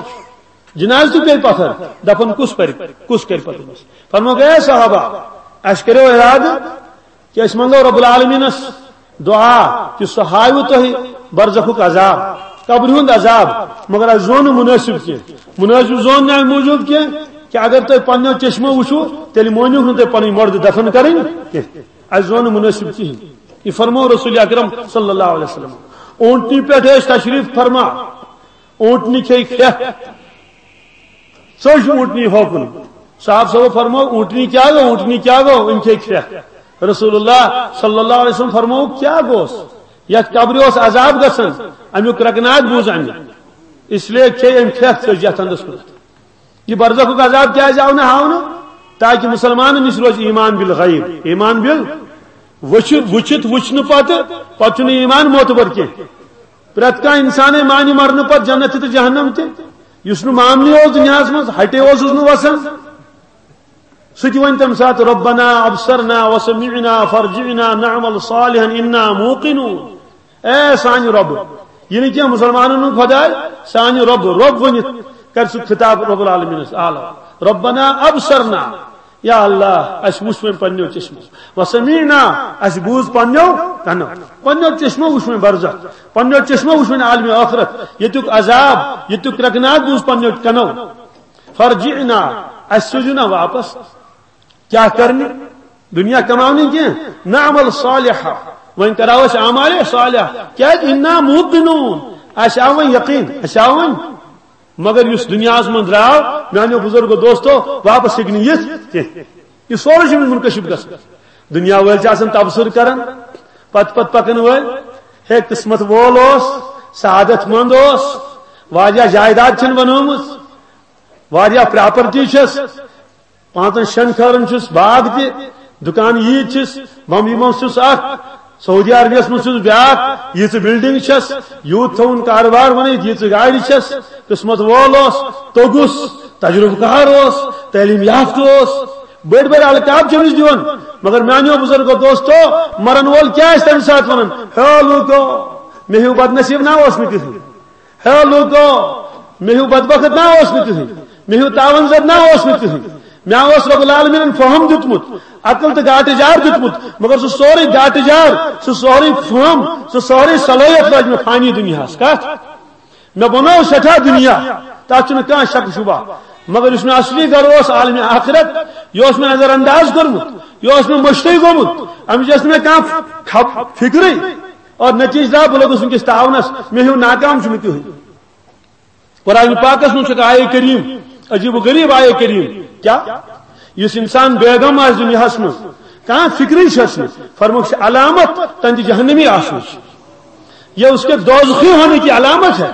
جنازٕ تہِ پیٚیہِ پتھر، دفن کُس پرِ، کُس کرِ پتہٕ أمِس؟ فرمووُکھ، اے صحابہ، اسہِ کریو ارادٕ کہ أسۍ منٛگو رب العالمینس دعا کہِ سُہ ہاوِ تۄہہِ برزخُک عذاب، قبرِ ہُنٛد عذاب، مگر اَسہِ زون نہٕ مُنٲسِب کینٛہہ۔ مُنٲسِب زون نہٕ اَمہِ موٗجوٗب کینٛہہ کہِ اگر تۄہہِ پنٛنیو چشمو وٕچھِو، تیٚلہِ مٲنِو نہٕ تُہۍ پنٕنۍ مۄردٕ دفن کرٕنۍ کینٛہہ۔ اَسہِ زون نہٕ مُنٲسِب کِہیٖنۍ۔ یہِ فرموو رسول اکرم صلی اللہ علیہ وسلم۔ اوٗنٹنہِ پٮ۪ٹھ ٲسۍ تشریف فرما، اوٗنٹنہِ کھے کھرٛٮ۪کھ، ژٔج اوٗنٹنہِ ہوکُن۔ صاحب صٲبو فرموو، "اوٗنٹنہِ کیٛاہ گوٚو؟ اوٗنٹنہِ کیٛاہ گوٚو؟" أمۍ کھے کھرٛٮ۪کھ۔ رسول اللہ صلی اللہ علیہ وسلم فرموو، "کیٛاہ گوٚوس؟ یَتھ قبرِ اوس عذاب گژھان، اَمیُک کرٛٮ۪کناگ بوٗز اَمہِ، اس لیے کھے أمۍ کھرٛٮ۪کھ، ژٔج یَتھ اَندَس کُن۔" یہِ برزخُک عذاب کیٛازِ آو نہٕ ہاونہٕ؟ تاکہِ مُسلمانَن نِش روزِ ایمان بالغیب، ایمان بال وٕچھِ-، وٕچھِتھ وٕچھنہٕ پتہٕ، پتہٕ چھُنہٕ ایمان معتبر کینٛہہ۔ پرٛٮ۪تھ کانٛہہ اِنسانٕے مانہِ مرنہٕ پتہٕ جنت تہِ تہٕ جہنم تہِ۔ یُس نہٕ ماننٕے اوس دُنیاہَس منٛز، ہٹے اوسُس نہٕ وسان، سُہ تہِ وَنہِ تَمہِ ساتہٕ، "ربنا ابصرنا وسمعنا فرجعنا نعمل صالحا انا موقنون"۔ اے سانہِ رۄب، یہِ نہٕ کینٛہہ مُسلمانَن ہُنٛد خۄداے، سانہِ رۄب، رۄب ؤنِتھ کرِ سُہ خطاب رب العالمینَس اعلیٰ۔ "ربنا ابصرنا"، یا اللہ، اَسہِ وُچھ وۄنۍ پنٛنیو چشمو، "وسمعنا"، اَسہِ بوٗز پنٛنیو کَنو، پنٛنیو چشمو وُچھ وۄنۍ برزخ، پنٛنیو چشمو وُچھ وۄنۍ عالمِ ٲخرت، ییٚتیُک عذاب، ییٚتیُک کرٛٮ۪کناگ بوٗز پنٛنیو کَنو۔ "فرجعنا"، اَسہِ سوٗزِو نا واپس۔ کیٛاہ کرنہِ؟ دُنیا کماونہِ کینٛہہ؟ "نعمل صالحا"، وۄنۍ کرو أسۍ اعمالِ صالح۔ کیٛازِ؟ "انا موقنون"، اَسہِ آو وۄنۍ یقین، اَسہِ آو وۄنۍ۔ مگر یُس دُنیاہَس منٛز درٛاو، میٛانیو بُزرگو دوستو، واپس ہیٚکہِ نہٕ یِتھ کینٛہہ۔ یہِ سورُے چھُ أمِس منکشف گژھان۔ دُنیا وٲلۍ چھِ آسان تبصرٕ کران، پتہٕ پتہٕ پکن وٲلۍ۔ ہے، قٕسمت وول اوس، سعادت مند اوس، واریاہ جائیداد چھَن بنٲومٕژ، واریاہ پراپرٹی چھَس، پانٛژن شٮ۪ن کھٲرن چھُس باغ تہِ، دُکان ییٖتۍ چھِس، بمبئی منٛز چھُس اکھ، سعودی عربیس منٛز چھُس بیاکھ، ییٖژٕ بلڈنگ چھَس، یوٗت تھوُن کارٕبار بنٲیِتھ، ییٖژٕ گاڑِ چھَس، قٕسمت وول اوس، توٚگُس، تجربہٕ کار اوس، تعلیٖم یافتہٕ اوس، بٔڑۍ بٔڑۍ القاب چھِ أمِس دِوان۔ مگر میٛانیو بُزرگو دوستو، مرن وول کیٛاہ آسہِ تَمہِ ساتہٕ وَنان؟ "ہے لوٗکو، مےٚ ہیوٗ بدنصیٖب نا اوس نہٕ کٕہٕنۍ۔ ہے لوٗکو، مےٚ ہیوٗ بدبخت نا اوس نہٕ کٕہٕنۍ، مےٚ ہیوٗ تاوان زد نا اوس نہٕ کٕہٕنۍ۔ مےٚ اوس رب العالمینن فہم دیُتمُت، عقل تہٕ گاٹہٕ جار دیُتمُت، مگر سُہ سورُے گاٹہٕ جار، سُہ سورُے فہم، سُہ سورُے صلٲحیت لٲج مےٚ فانی دُنیاہَس۔" کَتھ؟ مےٚ بنوو سٮ۪ٹھاہ دُنیا، تَتھ چھُنہٕ کانٛہہ شک شبہ، مگر یُس مےٚ اصلی گرٕ اوس عالمِ آخرت، یہِ اوس مےٚ نظر انداز کوٚرمُت، یہِ اوس مےٚ مٔشتٕے گوٚمُت، اَمِچ ٲس نہٕ مےٚ کانٛہہ خب-، فِکرٕے۔ اور نتیجہ درٛاو، بہٕ لوٚگُس وٕنکیٚس تاونس، مےٚ ہیوٗ ناکام چھُ مےٚ کٕہٕنۍ۔ قرآن پاکس منٛز چھُ آیے کریم، عجیب و غریب آیے کریم۔ کیا؟ یُس انسان بیگم آسہِ دُنیاہس منٛز، کانٛہہ فکرٕے چھس نہٕ، فرمووُکھ، چھِ علامت تہنٛدِ جہنمی آسنٕچ۔ یہ اس کے دوزخی ہونے کی علامت ہے۔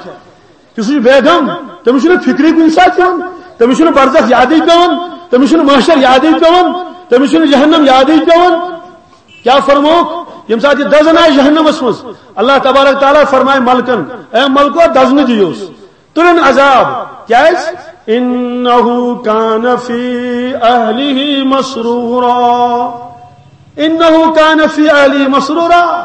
یُس یہِ بیگم، تٔمِس چھُنہٕ فکرٕے کُنہِ ساتہٕ یِوان، تٔمِس چھُنہٕ برزخ یادٕے پٮ۪وان، تٔمِس چھُنہٕ محشر یادٕے پٮ۪وان، تٔمِس چھُنہٕ جہنم یادٕے پٮ۪وان۔ کیا فرمووُکھ؟ ییٚمہِ ساتہٕ یہِ دزن آسہِ جہنمس منٛز، اللہ تبارک تعالیٰ فرمایہِ ملکن، "اے ملکو، دزنہٕ دِیوس، تُلِن عذاب۔" کیازِ؟ "انہ کان فی اہلہ مسرورا، انہ کان فی اہلہ مسرورا۔"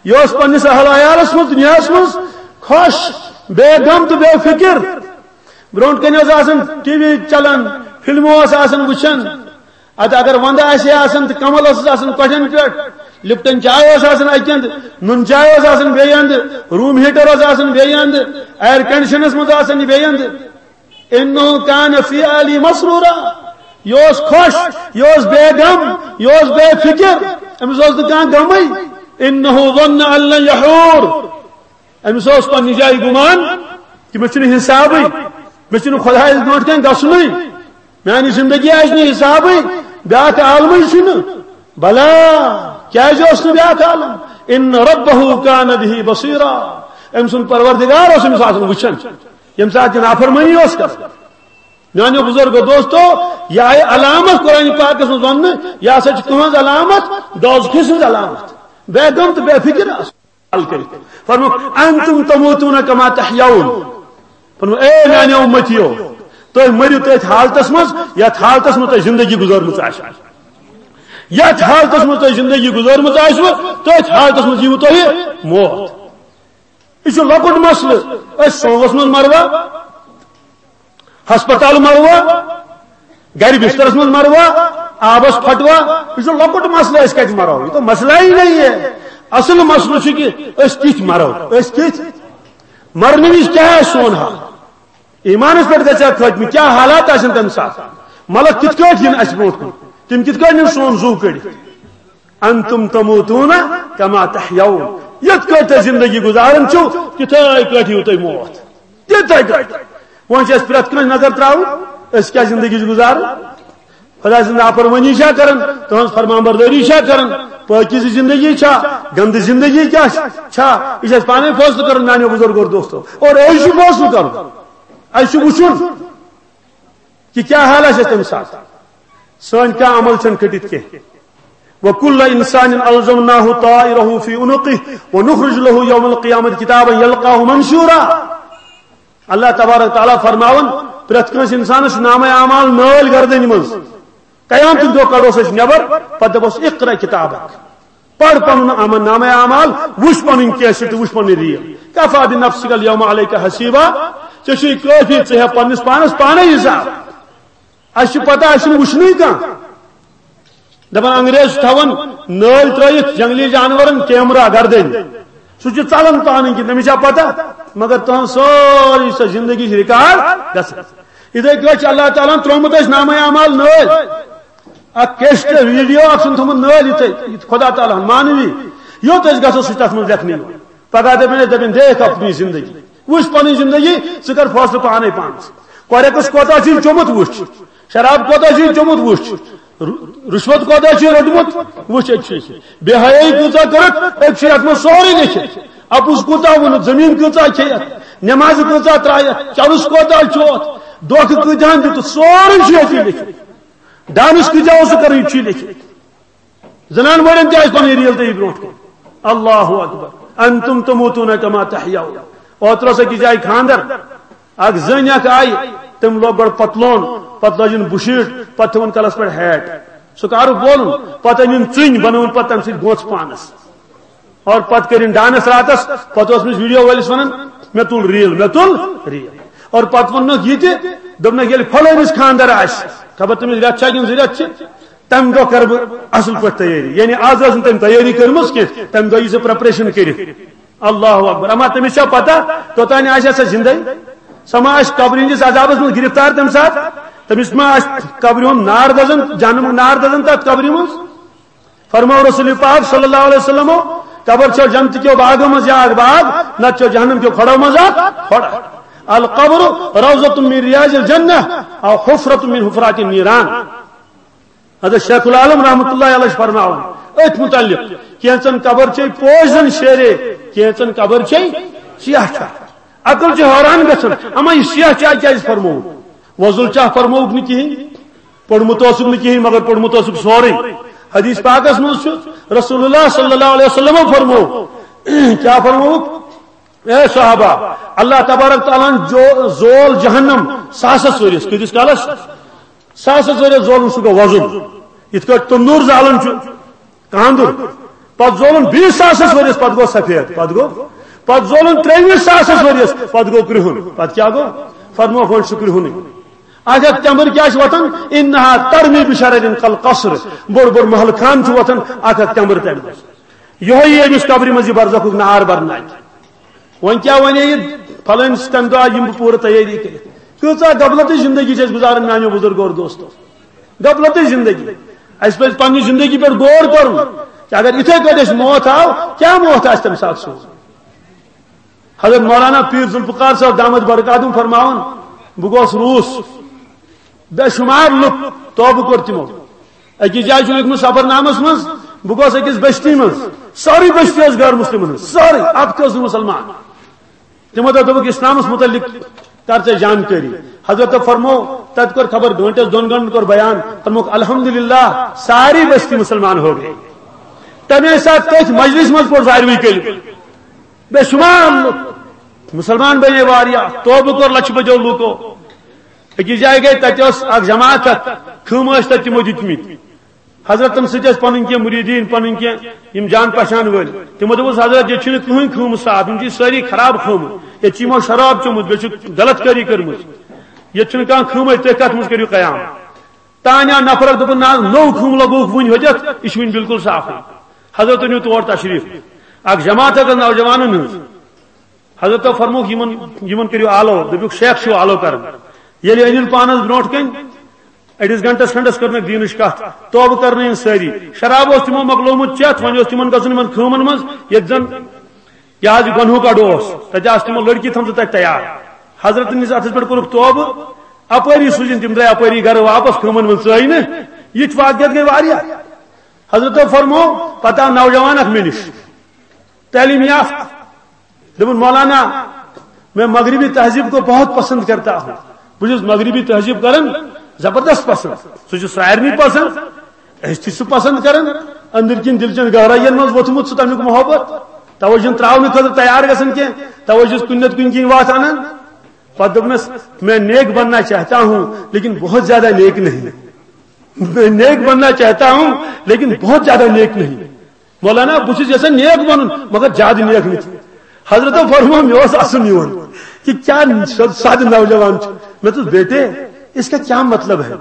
یہِ اوس پننِس اہل عیالس منٛز، دُنیاہس منٛز خۄش، بے غم تہٕ بے فکر۔ برونٛٹھ کنہِ اوس آسان ٹی وی چلان، فلمہٕ اوس آسان وٕچھان۔ ادٕ اگر ونٛدٕ آسہِ ہے آسان تہٕ کمل ٲسٕس آسان کۄٹھٮ۪ن پٮ۪ٹھ، لپٹن چاے ٲس آسان اکہِ اندٕ، نُن چاے ٲس آسان بیٚیہِ اندٕ، روٗم ہیٹر اوس آسان بیٚیہِ اندٕ، ایئر کنڈیشنس منٛز آسان یہِ بیٚیہِ اندٕ۔ "انہ کان فی اہلہ مسرورا"، یہِ اوس خۄش، یہِ اوس بے غم، یہِ اوس بے فکر، أمِس اوس نہٕ کانٛہہ غمٕے۔ "انہ ظن ان لن یحور"، أمِس اوس پننہِ جایہِ گُمان کہِ مےٚ چھُنہٕ حسابٕے، مےٚ چھُنہٕ خۄدایَس برونٛٹھ کَنہِ گژھُنٕے، میانہِ زندگی آسہِ نہٕ حسابٕے، بیٛاکھ عالمٕے چھُنہٕ۔ بلا، کیٛازِ اوس نہٕ بیٛاکھ عالم؟ "ان ربہ کان بہ بصیرا"، أمۍ سُنٛد پروردگار اوس أمِس آسان وٕچھان، ییٚمہِ ساتہٕ یہِ نافرمٲنی اوس کران۔ میانیو بزرگو دوستو، یہِ آیہِ علامت قرآن پاکس منٛز وننہٕ، یہِ ہسا چھِ تُہنٛز علامت، دوزخہٕ سٕنٛز علامت، بے غم تہٕ بے فکر آسُن۔ کٔرِتھ۔ فرمووُکھ، "انتم تموتون کما تحیون۔" فرموو، "اے میانیو امتیو، تُہۍ مٔرِو تٔتھۍ حالتس منٛز، یتھ حالتس منٛز تۄہہِ زندگی گُزٲرمٕژ آسہِ۔ یتھ حالتس منٛز تۄہہِ زندگی گُزٲرمٕژ آسِوٕ، تٔتھۍ حالتس منٛز یِیِوٕ تۄہہِ موت۔" یہِ چھُ لۄکُٹ مسلہٕ۔ أسۍ سووس منٛز مروا، ہسپتال مروا، گرِ بسترس منٛز مروا، آبس پھٹوا، یہِ چھُ لۄکُٹ مسلہٕ، أسۍ کتہِ مرو؟ یہ تو مسئلہ ہی نہیں ہے۔ اصل مسئلہٕ چھُ کہِ أسۍ کِتھ مرو، أسۍ کِتھ مرنہٕ وِزِ کیٛاہ آسہِ سون حال؟ ایٖمانس پٮ۪ٹھ گژھِ ہا خٲتمہٕ، کیٛاہ حالات آسن تمہِ ساتہٕ؟ ملک کِتھ کٲٹھۍ یِن اسہِ برونٛٹھ کُن؟ تِم کِتھ کٲٹھۍ نِن سون زُو کٔڑِتھ؟ انتم تموتون کما تحیون۔ یِتھ کٲٹھۍ تُہۍ زندگی گُزاران چھِو، تِتھے کٲٹھۍ یِیِو تۄہہِ موت۔ تِتھے کٲٹھۍ۔ وۄنۍ چھِ اَسہِ پرٛٮ۪تھ کٲنٛسہِ نظر ترٛاوٕنۍ، أسۍ کیٛاہ زندگی چھِ گُزاران؟ خۄداے سٕنٛز نافرمٲنی چھا کران؟ تُہٕنٛز فرمان بردٲری چھا کران؟ پٲکیٖزٕ زندگی چھا؟ گندٕ زندگی کیٛاہ چھا؟ یہِ چھُ اَسہِ پانے فٲصلہٕ کرُن، میانیو بزرگو اور دوستو۔ اور أسۍ چھُ فٲصلہٕ کرُن، اَسہِ چھُ وٕچھُن کہِ کیٛاہ حال آسہِ اَسہِ تَمہِ ساتہٕ۔ سٲنۍ کانٛہہ عمل چھَنہٕ کھٔٹِتھ کینٛہہ۔ وَكُلَّ إِنسَانٍ أَلْزَمْنَاهُ طَائِرَهُ فِي عُنُقِهِ وَنُخْرِجُ لَهُ يَوْمَ الْقِيَامَةِ كِتَابًا يَلْقَاهُ مَنْشُورًا۔ اللہ تبارک تعالیٰ فرماوان، پرٛٮ۪تھ کٲنٛسہِ اِنسانَس چھُ نامہ اعمال نٲلۍ گردنہِ منٛز۔ قیامتُک دۄہ کڑوس أسۍ نٮ۪بر، پتہٕ دپوس، "اقرأ کتابک۔" پَر پَنُن عمل، نامہ اعمال، وٕچھ پَنٕنۍ کیسٹ تہٕ وٕچھ پَنٕنۍ ریل۔ کفی بنفسک الیوم علیک حسیبا، ژےٚ چھُے کٲفی، ژٕ ہےٚ پننِس پانس پانے حساب۔ اَسہِ چھِ پتہ، اَسہِ چھُنہٕ وٕچھنُے کانٛہہ۔ دپان انگریز چھِ تھاوان نٲلۍ ترٲیِتھ جنگلی جانورن کیمرہ گردن، سُہ چھُ ژلان پانہٕ کِنۍ، تٔمِس چھا پتہ؟ مگر تُہنٛز سٲرٕے سۄ زندگی چھِ ریکارڈ گژھان۔ یِتھے کٲٹھۍ چھُ اللہ تعالیٰ ہن ترٛوومُت اَسہِ نامہ اعمال نٲلۍ۔ اکھ کیسٹ ویڈیو اکھ چھُن تھوٚمُت نٲلۍ یِتھے، یہِ خۄدا تعالیٰ ہن مانوی۔ یوٚت أسۍ گژھو سُہ چھُ تتھ منٛز لیکھنہٕ یِوان۔ پگاہ دپن أسۍ، دپن، "دیکھ اپنی زندگی، وٕچھ پنٕنۍ زندگی، ژٕ کر فٲصلہٕ پانے پانس۔ کۄرٮ۪کس کوتاہ چھُے چوٚمُت وٕچھ، شراب کوتاہ چھُے چوٚمُت وٕچھ، ر-، رُشوت کوتاہ چھُے روٚٹمُت وٕچھ، أتۍ چھُے۔ بے حیٲیی کۭژاہ کٔرٕکھ، أتۍ چھُے اتھ منٛز سورُے لیکھِتھ۔ اپُز کوٗتاہ ووٚنُتھ، زٔمیٖن کۭژاہ کھیٚیَتھ، نمازِ کۭژاہ ترٛایَتھ، چرس کوتاہ چھُ اتھ، دھوکہٕ کۭتیاہن دیُتُتھ، سورُے چھُ أتی لیکھِتھ۔ ڈانس کۭتیاہ اوسُکھ کران، یہِ تہِ چھُے لیکھِتھ۔ زنان مٲلٮ۪ن تہِ آسہِ پنٕنۍ ریل تٔتی برونٛٹھ کُن۔ اللہ اکبر۔ انتم تموتون کما تحیون۔ اوترٕ اوس أکِس جایہِ خانٛدر، اکھ زٔنۍ اکھ آیہِ، تٔمۍ لوگ گۄڈٕ پتلون، پتہٕ لٲجِن بُشیٖٹ، پتہٕ تھٲوٕن کلس پٮ۪ٹھ ہیٹ۔ سُہ کارُک وولُن، پتہٕ أنِن ژٕنۍ، بنٲوٕن پتہٕ تمہِ سۭتۍ گونٛژھ پانس۔ اور پتہٕ کٔرِن ڈانس راتس، پتہٕ اوس أمِس ویڈیو وٲلِس ونان، "مےٚ تُل ریل، مےٚ تُل ریل۔" اور پتہٕ ووٚننکھ یہِ تہِ، دوٚپنکھ، "ییٚلہِ فلٲنِس خانٛدر آسہِ، خبر تٔمِس رٮ۪تھ چھا کِنہٕ زٕ رٮ۪تھ چھِ، تمہِ دۄہ کرٕ بہٕ اصل پٲٹھۍ تیٲری۔" یعنی از ٲس نہٕ تٔمۍ تیٲری کٔرمٕژ کینٛہہ، تمہِ دۄہ یی سۄ پریپریشن کٔرِتھ۔ اللہ اکبر۔ اما تٔمِس چھا پتہ توٚتانۍ آسہِ سا زندے؟ سۄ ما آسہِ قبرِ ہٕنٛدِس عذابس منٛز گرفتار تمہِ ساتہٕ؟ تٔمِس ما آسہِ قبرِ ہُنٛد نار دزان، جہنمُک نار دزان تتھ قبرِ منٛز؟ فرمو رسول پاک صلی اللہ علیہ وسلمو، "قبر چھو جنت کیو باغو منٛز یا اکھ باغ، نتہٕ چھو جہنم کیو کھۄڑو منٛز اکھ کھۄڑ۔ القبر روضۃ من ریاض الجنہ او حفرۃ من حفرات النیران۔" حضرت شیخ العالم رحمۃ اللہ علیہ چھِ فرماوان أتھۍ متعلق، کینٛژن قبر چھے پوش زن شیرے، کینٛژن قبر چھے سیاہ چھا۔ عقل چھِ حٲران گژھان، اما یہِ سیاہ چاے کیازِ فرمووُکھ؟ وۄزُل چاہ فرمووُکھ نہٕ کِہیٖنۍ، پوٚرمُت اوسُکھ نہٕ کِہیٖنۍ، مگر پوٚرمُت اوسُکھ سورُے۔ حدیث پاکس منٛز چھُ رسول اللہ صلی اللہ علیہ وسلمو فرموو، کیٛاہ فرمووُکھ؟ اے صحابہ، اللہ تبارک تعالیٰ ہن جو زول جہنم ساسس ؤرِیس۔ کۭتِس کالس؟ ساسس ؤرِیس زولُن، سُہ گوٚو وۄزُل۔ یِتھ کٲٹھۍ تندوٗر زالان چھُ کاندُر، پتہٕ زولُن بیٚیِس ساسس ؤرِیس، پتہٕ گوٚو سفید، پتہٕ گوٚو، پتہٕ زولُن ترٛیٚیِمِس ساسس ؤرِیس، پتہٕ گوٚو کرٛہُن۔ پتہٕ کیٛاہ گوٚو؟ فرمووُکھ، وۄنۍ چھُ کرٛہُنُے۔ اکھ اکھ تٮ۪مبٕر کیٛاہ چھِ وۄتھان؟ انہا ترمی بشرر کالقصر، بوٚڑ بوٚڑ محل خان چھُ وۄتھان اکھ اکھ تٮ۪مبٕر تَمہِ منٛز۔ یِہوٚے یی أمِس قبرِ منٛز یہِ برزخُک نار برناوِ۔ وۄنۍ کیٛاہ وَنہِ یہِ؟ فلٲنۍ سٕنٛدِ تَمہِ دۄہ آیہِ یِم بہٕ پوٗرٕ تیٲری کٔرِتھ۔ کۭژاہ غفلتٕچ زندگی چھِ أسۍ گُزاران، میٛانیو بُزرگو اور دوستو۔ غفلتٕچ زندگی۔ اَسہِ پَزِ پنٛنہِ زندگی پٮ۪ٹھ غور کَرُن کہِ اگر یِتھَے کٲٹھۍ اَسہِ موت آو، کیٛاہ موت آسہِ تَمہِ ساتہٕ سون؟ حضرت مولانا پیٖر ذوالفقار صٲب دامت برکاتہم فرماوان، بہٕ گوس روٗس، بے شمار لُکھ توبہٕ کوٚر تِمو۔ أکِس جایہِ چھُ لیوٗکھمُت سفرنامس منٛز، بہٕ گوس أکِس بستی منٛز، سٲرٕے بستی ٲس غٲر مسلمن ہٕنٛز، سٲرٕے، اکھ تہِ اوس نہٕ مُسلمان۔ تِمو دوٚپ، دوٚپُکھ، اسلامس متعلق کر ژےٚ جانکٲری۔ حضرت فرمو، تتہِ کوٚر خبر گٲنٹس دۄن گٲنٹن کوٚر بیان، فرمووُکھ، الحمدللہ، ساری بستی مسلمان ہو گئی۔ تمے ساتہٕ تٔتھۍ مجلس منٛز پوٚر ساروٕے کٔلمہٕ۔ بے شمار لُکھ مسلمان بنے واریاہ، توبہٕ کوٚر لچھِ بجو لوٗکو۔ أکِس جایہِ گٔے، تَتہِ ٲس اکھ جماعت اکھ، خۭمہٕ ٲسۍ تَتہِ تِمو دِتمٕتۍ۔ حضرتن سۭتۍ ٲسۍ پَنٕنۍ کینٛہہ مُریٖدیٖن، پَنٕنۍ کینٛہہ یِم جان پہچان وٲلۍ۔ تِمو دوٚپُس، "حضرت، ییٚتہِ چھِنہٕ کٕہٕنۍ خۭمہٕ صاف، یِم چھِ سٲری خراب خۭمہٕ، ییٚتہِ چھِ یِمو شراب چوٚمُت، بیٚیہِ چھُکھ غلط کٲری کٔرمٕژ، ییٚتہِ چھُنہٕ کانٛہہ خۭمٕے، تُہۍ کَتھ منٛز کٔرِو قیام؟" تانۍ آو نفر، دوٚپُن، "نہ حظ، نوٚو خۭمہٕ لگووُکھ وُنہِ ہوٚتٮ۪تھ، یہِ چھُ وُنہِ بالکل صافٕے۔" حضرت أنِو تور اکھ جماعت ٲس نوجوانن ہٕنٛز۔ حضرتو فرمووُکھ، یِمن، یِمن کٔرِو آلو، دوٚپُکھ، شیخ چھُو آلو کران۔ ییٚلہِ أنِن پانس برونٛٹھ کٔنۍ، أڑِس گھنٹس کھنڈس کٔر نہٕ دیٖنٕچ کتھ، توبہٕ کرنٲوِن سٲری۔ شراب اوس تِمو مۄکلومُت چٮ۪تھ، وۄنۍ اوس تِمن گژھُن یِمن خٲمن منٛز، ییٚتہِ زن یہِ حظ یہِ گۄنہُک اڈٕ اوس، تتہِ آسہٕ تِمو لڑکی تھٲمژٕ تتہِ تیار۔ حضرتن ہٕنٛدِس اتھس پٮ۪ٹھ کوٚرُکھ توبہٕ، اپٲری سوٗزِن تِم، درٛاے اپٲری گرٕ واپس، خٲمن منٛز ژٲے نہٕ۔ یِتھۍ واقعیت گٔے واریاہ۔ حضرتو فرموو، پتہٕ آو نوجوان اکھ مےٚ نِش، تعلیٖم یافتہٕ۔ دوٚپُن، "مولانا، میں مغربی تہذیب کو بہت پسند کرتا ہوں۔" بہٕ چھُس مغربی تہذیب کران زبردست پسند۔ سُہ چھُ سارنٕے پسند، أسۍ تہِ چھِ سُہ پسند کران۔ أنٛدٕرۍ کِنۍ دِل چٮ۪ن گہرٲیَن منٛز ووٚتھمُت چھُ تَمیُک محبت۔ توے چھُنہٕ ترٛاونہٕ خٲطرٕ تیار گژھان کینٛہہ، توے چھُس کُنہِ نتہٕ کُنہِ کِنۍ وَتھ اَنان۔ پتہٕ دوٚپنَس، "میں نیک بننا چاہتا ہوں، لیکن بہت زیادہ نیک نہیں۔" میں نیک بننا چاہتا ہوں، لیکن بہت زیادہ نیک نہیں۔ مولانا، بہٕ چھُس یژھان نیک بنُن، مگر زیادٕ نیک نہٕ کینٛہہ۔ حضرتو فرموو، مےٚ اوس اَسُن یِوان کہِ کیٛاہ سادٕ نوجوان چھُ۔ مےٚ دوٚپُس، "بیٹے، اس کا کیا مطلب ہے؟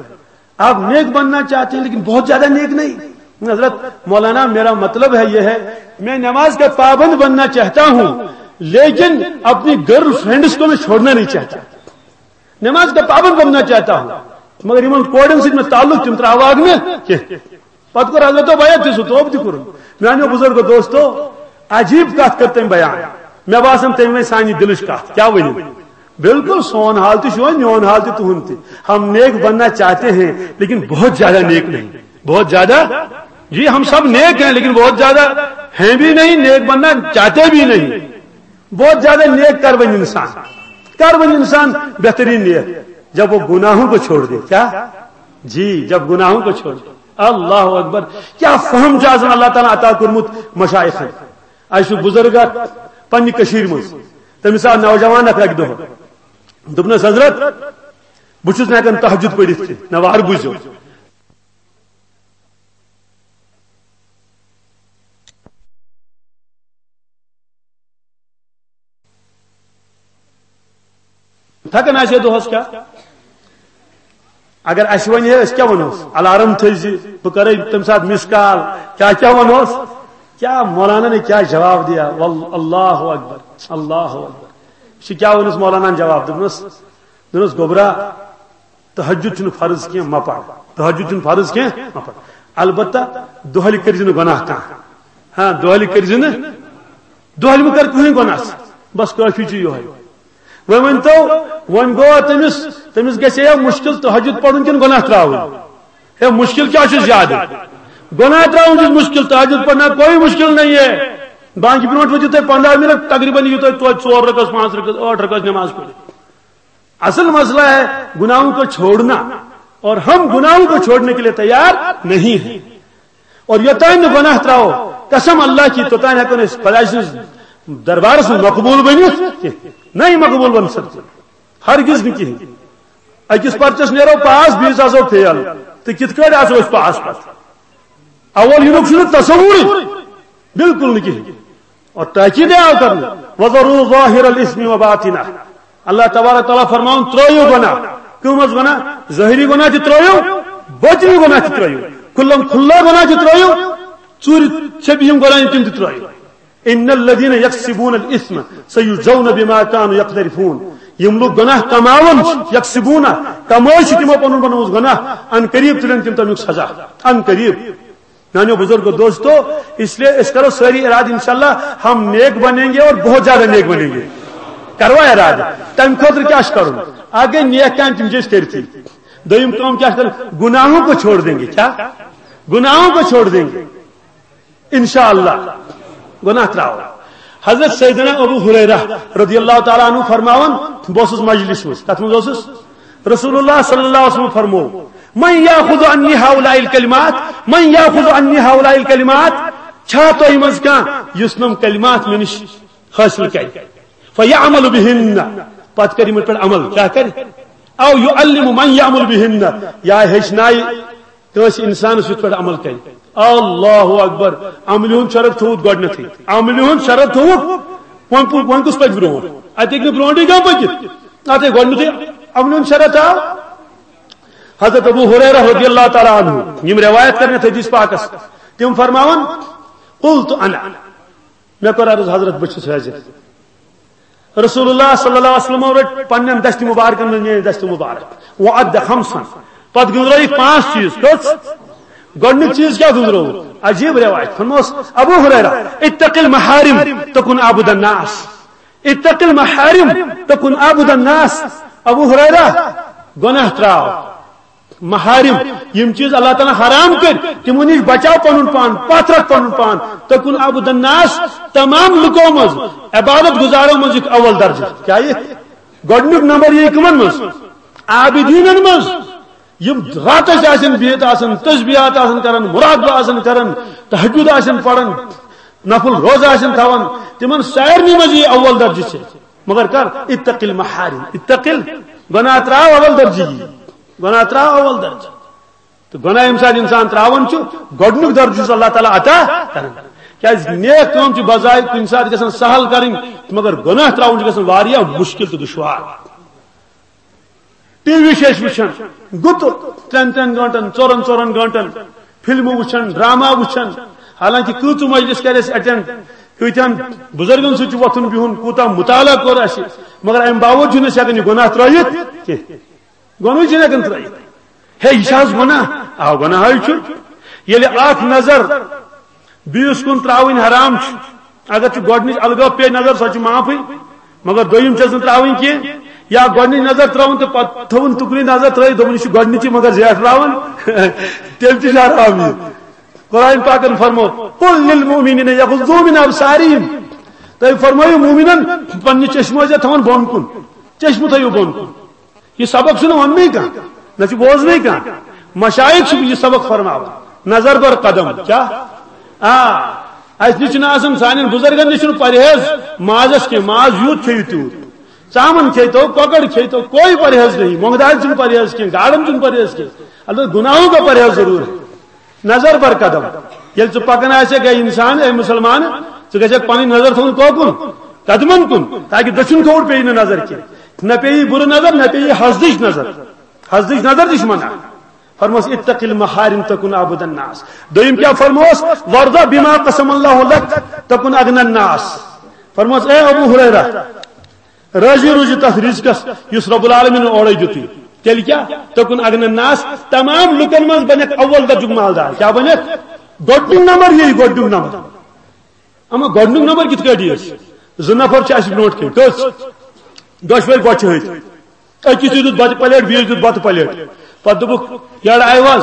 آپ نیک بننا چاہتے ہیں، لیکن بہت زیادہ نیک نہیں۔" حضرت، "مولانا، میرا مطلب ہے یہ ہے، میں نماز کا پابند بننا چاہتا ہوں، لیکن اپنی گرل فرینڈس کو میں چھوڑنا نہیں چاہتا۔" نماز کا پابند بننا چاہتا ہوں، مگر یِمن کورٮ۪ن سۭتۍ مےٚ تعلق، تِم ترٛاوہاکھ نہٕ کینٛہہ۔ پتہٕ کوٚر حضرتو بیعت تہِ، سُہ توبہٕ تہِ کوٚرُن۔ میانیو بزرگو دوستو، عجیب کتھ کٔر تٔمۍ بیان۔ مےٚ باسان، تٔمۍ ؤنۍ سانہِ دِلٕچ کتھ۔ کیٛاہ ؤنِو؟ بالکل سون حال تہِ چھُ وۄنۍ، میون حال تہِ، تُہُنٛد تہِ۔ ہم نیک بننا چاہتے ہیں، لیکن بہت زیادہ نیک نہیں۔ بہت زیادہ؟ جی، ہم سب نیک ہیں، لیکن بہت زیادہ ہیں بھی نہیں، نیک بننا چاہتے بھی نہیں۔ بہت زیادہ نیک کر بن انسان، کر بن انسان بہترین نیک، جب وہ گناہوں کو چھوڑ دے۔ کیا؟ جی، جب گناہوں کو چھوڑ دے۔ اللہ اکبر۔ کیا فہم چھُ آسان اللہ تعالیٰ عطا کوٚرمُت مشائخن۔ اَسہِ چھُ بُزرگ اکھ پننہِ کٔشیٖرِ منٛز، تٔمِس آو نوجوان اکھ اکہِ دۄہ، دوٚپنَس، "حضرت، بہٕ چھُس نہٕ ہٮ۪کان تہجد پٔرِتھ کینٛہہ، نہ وارٕ بوٗزِو۔" تھکان آسہِ ہے دۄہس کیٛاہ؟ اگر اسہِ ونہِ ہے، أسۍ کیٛاہ ونہوس؟ الارم تھٲوزِ، بہٕ کرے تمہِ ساتہٕ مِس کال، کیٛاہ کیٛاہ ونہوس؟ کیٛاہ مولانا نے کیٛاہ جواب دیا؟ واللہ، اللہ اکبر، اللہ اکبر۔ یہِ چھُ کیٛاہ ووٚنُس مولاناہن جواب؟ دوٚپنس، دوٚپنس، "گوٚبرا، تہجد چھُنہٕ فرض کینٛہہ، مہ پَر۔ تہجد چھُنہٕ فرض کینٛہہ، مہ پَر۔ البتہ دۄہلہِ کٔرۍ زِ نہٕ گۄناہ کانٛہہ۔ ہاں، دۄہلہِ کٔرۍ زِ نہٕ، دۄہلہِ مہٕ کر کٕہٕنۍ گۄناہ۔ بس کٲفی چھُ یِہوٚے۔" وۄنۍ ؤنۍ تو، وۄنۍ گوٚو تٔمِس، تٔمِس گژھِ ہے مُشکِل تہجد پَرُن کِنہٕ گۄناہ ترٛاوُن؟ ہے، مُشکِل کیٛاہ چھُ زیادٕ؟ گۄناہ ترٛاوُن چھُ مُشکِل، تہجد پَرنا کوئی مُشکِل نہیں ہے۔ بانگہِ برونٛٹھ ؤتھِو تُہۍ پنٛداہ مِنٹ، تقریباً یِیِو تۄہہِ توتہِ ژور رکعت، پانٛژھ رکعت، ٲٹھ رکعت نماز پٔرِتھ۔ اصل مسئلہ ہے گناہوں کو چھوڑنا، اور ہم گناہوں کو چھوڑنے کے لیے تیار نہیں ہیں۔ اور یوتام نہٕ گناہ تراوو، قسم اللہ کی، توتام ہیکو نہٕ أسۍ خداے سٕنٛدِس دربارس منٛز مقبول بٔنِتھ کینٛہہ۔ نہیں مقبول بن سکتے، ہرگز نہٕ کِہیٖنۍ۔ أکِس پرچس نیرو پاس، بیٚیِس آسو فیل، تہٕ کِتھ کٲٹھۍ آسو أسۍ پاس پتہٕ؟ اول یِنُک چھُنہٕ تصورٕے، بالکل نہٕ کِہیٖنۍ۔ اور تاکید آو کرنہٕ، "وَذَرُوا ظَاهِرَ الْإِثْمِ وَبَاطِنَهُ۔" اللہ تبارک تعالیٰ فرماوُن، ترٲیِو گۄناہ۔ کٕم حظ گۄناہ؟ ظٲہری گۄناہ تہِ ترٲیِو، باطنی گۄناہ تہِ ترٲیِو۔ کھُلم کھُلا گۄناہ تہِ ترٲیِو، ژوٗرِ چھپہِ یِم گۄناہ تِم تہِ ترٲیِو۔ "إِنَّ الَّذِينَ يَكْسِبُونَ الْإِثْمَ سَيُجْزَوْنَ بِمَا كَانُوا يَقْتَرِفُونَ۔" یِم لوٗکھ گۄناہ کماوان چھِ، یکسبون، کمٲے چھِ تِمو پنُن بنومُت گۄناہ، ان قریب تُلن تِم تمیُک سزا، ان قریب۔ میانیو بزرگو دوستو، اس لیے أسۍ کرو سٲری ارادٕ انشاءاللہ ہم نیک بنیں گے اور بہت زیادہ نیک بنیں گے۔ کروا ارادٕ؟ تمہِ خٲطرٕ کیٛاہ چھُ کرُن؟ اکھ گٔے نیک کامہِ، تِم چھِ أسۍ کٔرتھٕے۔ دوٚیِم کٲم کیٛاہ چھِ کرٕنۍ؟ گناہوں کو چھوڑ دیں گے۔ کیا؟ گناہوں کو چھوڑ دیں گے۔ انشاءاللہ گۄناہ ترٛاوو۔ حضرت سیدنا ابو ہریرہ رضی اللہ تعالیٰ عنہ فرماوان، بہٕ اوسُس مجلس منٛز، کتھ منٛز اوسُس؟ رسول اللہ صلی اللہ علیہ وسلم فرمو، "من یاخذ عنی ہؤلاء الکلمات، من یاخذ عنی ہؤلاء الکلمات۔" چھا تۄہہِ منٛز کانٛہہ یُس نم کلمات مےٚ نِش حٲصِل کرِ؟ فیعمل بہن، پتہٕ کرِ یِمن پٮ۪ٹھ عمل، کیٛاہ کرِ؟ او یعلم من یعمل بہن، یا ہیٚچھنایہِ کٲنٛسہِ اِنسانَس یِتھ پٲٹھۍ عمل کرِ۔ اللہ اکبر۔ عملہِ ہُنٛد شرط تھوٚوُکھ گۄڈٕنیتھٕے۔ عملہِ ہُنٛد شرط تھوٚوُکھ۔ وۄنۍ پو-، وۄنۍ کُس پَکہِ برونٛٹھ؟ اَتہِ ہیٚکہِ نہٕ برونٛٹھٕے کانٛہہ پٔکِتھ۔ اَتھ ہے گۄڈٕنیتھٕے عملہِ ہُنٛد شرط آو۔ حضرت ابو ہریرہ رضی اللہ تعالیٰ عنہ، یِم روایت کرن یَتھ حدیث پاکس، تِم فرماوان، "قلت انا۔" مےٚ کوٚر عرض، حضرت، بہٕ چھُس حٲضِر۔ رسول اللہ صلی اللہ علیہ وسلم رٔٹۍ پننٮ۪ن دستِ مبارکن منٛز میٲنۍ دستِ مبارک۔ وعد خمسن۔ پتہٕ گٔنٛزرٲیِکھ پانٛژھ چیٖز۔ کٔژ؟ گۄڈٕنیُک چیٖز کیٛاہ گٔنٛزرٲوُکھ؟ عجیب روایت۔ فرموس ابو ہریرہ، "اتق المحارم تکن عبد الناس۔ اتق المحارم تکن عبد الناس۔" ابو ہریرہ، گۄناہ ترٛاو۔ محارم، یِم چیٖز اللہ تعالیٰ حرام کٔرۍ، تِمو نِش بچاو پنُن پان، پتھ رکھ پنُن پان۔ تکن عبد الناس، تمام لُکو منٛز، عبادت گزارو منٛز یُکھ اول درجہٕ۔ کیٛاہ یہِ؟ گۄڈٕنیُک نمبر یی کٕمن منٛز؟ عابدیٖنن منٛز۔ یِم راتس آسن بِہِتھ آسن، تسبیحات آسن کران، مراقبہ آسن کران، تہجد آسن پران، نفل روزٕ آسن تھاوان، تِمن سارنٕے منٛز یی اول درجہٕ ژےٚ۔ مگر کر؟ اتق المحارم۔ اتق ال-، گۄناہ ترٛاو اول درجہٕ یی۔ گۄناہ ترٛاو اول درجہٕ۔ تہٕ گۄناہ ییٚمہِ ساتہٕ انسان ترٛاوان چھُ، گۄڈٕنیُک درجہٕ چھُس اللہ تعالیٰ عطا کران۔ کیٛازِ نیک کٲم چھِ بظاہر کُنہِ ساتہٕ گژھان سہل کرٕنۍ، مگر گۄناہ ترٛاوُن چھُ گژھان واریاہ مُشکِل تہٕ دُشوار۔ ٹی وی چھِ أسۍ وٕچھان، گُتُل، ترٛٮ۪ن ترٛٮ۪ن گٲنٛٹن، ژورن ژورن گٲنٛٹن فلمہٕ وٕچھان، ڈرامہ وٕچھان۔ حالانکہ کۭژٕ مجلس کرِ اَسہِ اٹینڈ، کۭتیٛاہن بُزرگن سۭتۍ چھُ وۄتھُن بِہُن، کوٗتاہ مُطالعہ کوٚر اَسہِ، مگر اَمہِ باوجوٗد چھِنہٕ أسۍ ہٮ۪کان یہِ گۄناہ ترٲوِتھ کینٛہہ۔ گۄناہ چھِنہٕ ہٮ۪کان ترٲوِتھ۔ ہے، یہِ چھِ حظ گۄناہ؟ آ، گۄناہ حظ چھُ۔ ییٚلہِ اکھ نظر بیٚیِس کُن ترٛاوٕنۍ حرام چھُ، اگر چھُ گۄڈٕنِچ الگٲب پیٚیہِ نظر، سۄ چھِ معافٕے، مگر دوٚیِم چھَس نہٕ ترٛاوٕنۍ کینٛہہ۔ یا گۄڈٕنِچ نظر ترٛٲوٕن تہٕ پتہٕ تھٲوٕن تُکنُے نظر ترٛٲوِتھ، دوٚپُن، "یہِ چھُ گۄڈٕنِچی مگر زیٹھ راوان"، تیٚلہِ تہِ چھُ حرام یہِ۔ قرآن پاکن فرمو، "قل للمؤمنین یغضوا من ابصارہم"، تُہۍ فرمٲیِو مومنن پننہِ چشمہٕ ٲسۍزیو تھاوان بۄن کُن، چشمہٕ تھٲیِو بۄن کُن۔ یہِ سبق چھُنہٕ وَننُے کانٛہہ، نہ چھُ بوزنُے کانٛہہ۔ مشایخ چھِ یہِ سبق فرماوان۔ نظر بر قدم۔ کیٛاہ؟ آ، اَسہِ نِش چھُنہٕ آسان، سانٮ۪ن بُزرگن نِش چھُنہٕ پرہیز مازس کینٛہہ، ماز یوٗت کھیٚیِو تیوٗت۔ ژامن کھیٚیتو، کۄکر کھیٚیتو، کوئی پرہیز نہیں۔ مۄنٛگہٕ دالہِ چھُنہٕ پرہیز کینٛہہ، گاڈن چھُنہٕ پرہیز کینٛہہ۔ البتہ گناہوں کا پرہیز ضرور ہے۔ نظر بر قدم۔ ییٚلہِ ژٕ پکان آسکھ، اے انسان، اے مسلمان، ژٕ گژھکھ پنٕنۍ نظر تھاوُن کوکُن؟ قدمن کُن، تاکہ دٔچھُن کھووُر پیٚیہِ نہٕ نظر کینٛہہ۔ نہ پیٚیہِ بُرٕ نظر، نہ پیٚیہِ حسدٕچ نظر۔ حسدٕچ نظر تہِ چھِ منع۔ فرموس، "اتق المحارم تکن عبد الناس۔" دوٚیِم کیٛاہ فرموس؟ "وارض بما قسم اللہ لک تکن اغنى الناس۔" فرموس، اے ابو ہریرہ، راضی روٗزِو تَتھ رِزقَس یُس رب العالمین اورَے دیُتُے۔ تیٚلہِ کیٛاہ؟ تکن اغنى الناس، تمام لُکن منٛز بنکھ اول درجُک مالدار۔ کیٛاہ بنکھ؟ گۄڈٕنیُک نمبر یی، گۄڈٕنیُک نمبر۔ اما گۄڈٕنیُک نمبر کِتھ کٲٹھۍ یِیَس؟ زٕ نفر چھِ اَسہِ برونٛٹھ کَنہِ۔ کٔژ؟ دۄشوَے بۄچھِ ۂتۍ۔ أکِس دیُت بَتہٕ پلیٹ، بیٚیِس دیُت بَتہٕ پلیٹ۔ پَتہٕ دوٚپُکھ، "یَڑٕ آیہِ حظ؟"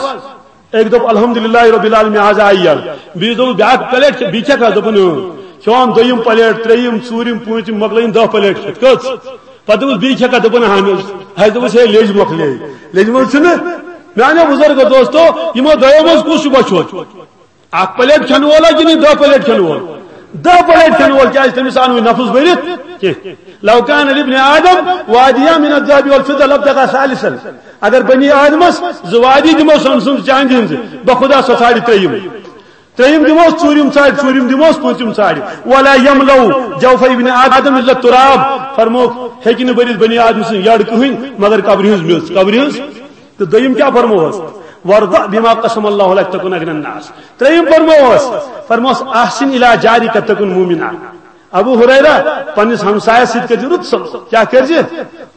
أکۍ دوٚپ، "الحمدللہ رب العالمین، آز آیہِ یَڑٕ۔" بیٚیِس دوٚپُن، "بیٛاکھ پلیٹ کھےٚ، بیٚیہِ کھٮ۪کھ حظ؟" دوٚپُن، "اۭں۔" کھیوٚوہَم دوٚیِم پلیٹ، ترٛیٚیِم، ژوٗرِم، پوٗنٛژِم، مۄکلٲیِم دَہ پلیٹ کھٮ۪تھ۔ کٔژ؟ پَتہٕ دوٚپُس، "بیٚیہِ کھٮ۪کھا؟" دوٚپُن، "اہن حظ۔" اَسہِ دوٚپُس، "ہے، لیٚج مۄکلے۔" لیٚجہِ منٛز چھُنہٕ؟ میٛانیو بُزرگو دوستو، یِمو دۄیو منٛز کُس چھُ بۄچھِ ہوٚت؟ اکھ پلیٹ کھٮ۪نہٕ وول ہا کِنہٕ دَہ پلیٹ کھٮ۪نہٕ وول؟ دَہ پلیٹ کھٮ۪نہٕ وول، کیٛازِ تٔمِس آو نہٕ وۄنۍ نفس بٔرِتھ کینٛہہ۔ "لو کان لابن آدم وادیان من الذهب والفضة لابتغى ثالثا"، اگر بنی آدمس زٕ وادی دِمو سۄنہٕ سٕنٛز چاندِ ہٕنٛز، بخدا سۄ ژھانٛڈِ ترٛیٚیِم۔ ترٛیٚیِم دِموس، ژوٗرِم ژھانٛڈِ، ژوٗرِم دِموس، پوٗنٛژِم ژھانٛڈِ۔ "ولا يملأ جوف ابن آدم إلا التراب"، فرمووُکھ، ہیٚکہِ نہٕ بٔرِتھ بنی آدم سٕنٛز یٔڈ کٕہٕنۍ مگر قبرِ ہٕنٛز میٚژ، قبرِ ہٕنٛز۔ تہٕ دوٚیِم کیٛاہ فرمووس؟ "وارض بما قسم الله لك تكن أغنى الناس"۔ ترٛیٚیِم فرمووس، فرمووس، "أحسن إلى جارك تكن مؤمنا"۔ ابو ہریرہ، پننِس ہمسایس سۭتۍ کٔرزِ رُت سلوک۔ کیٛاہ کٔرزِ؟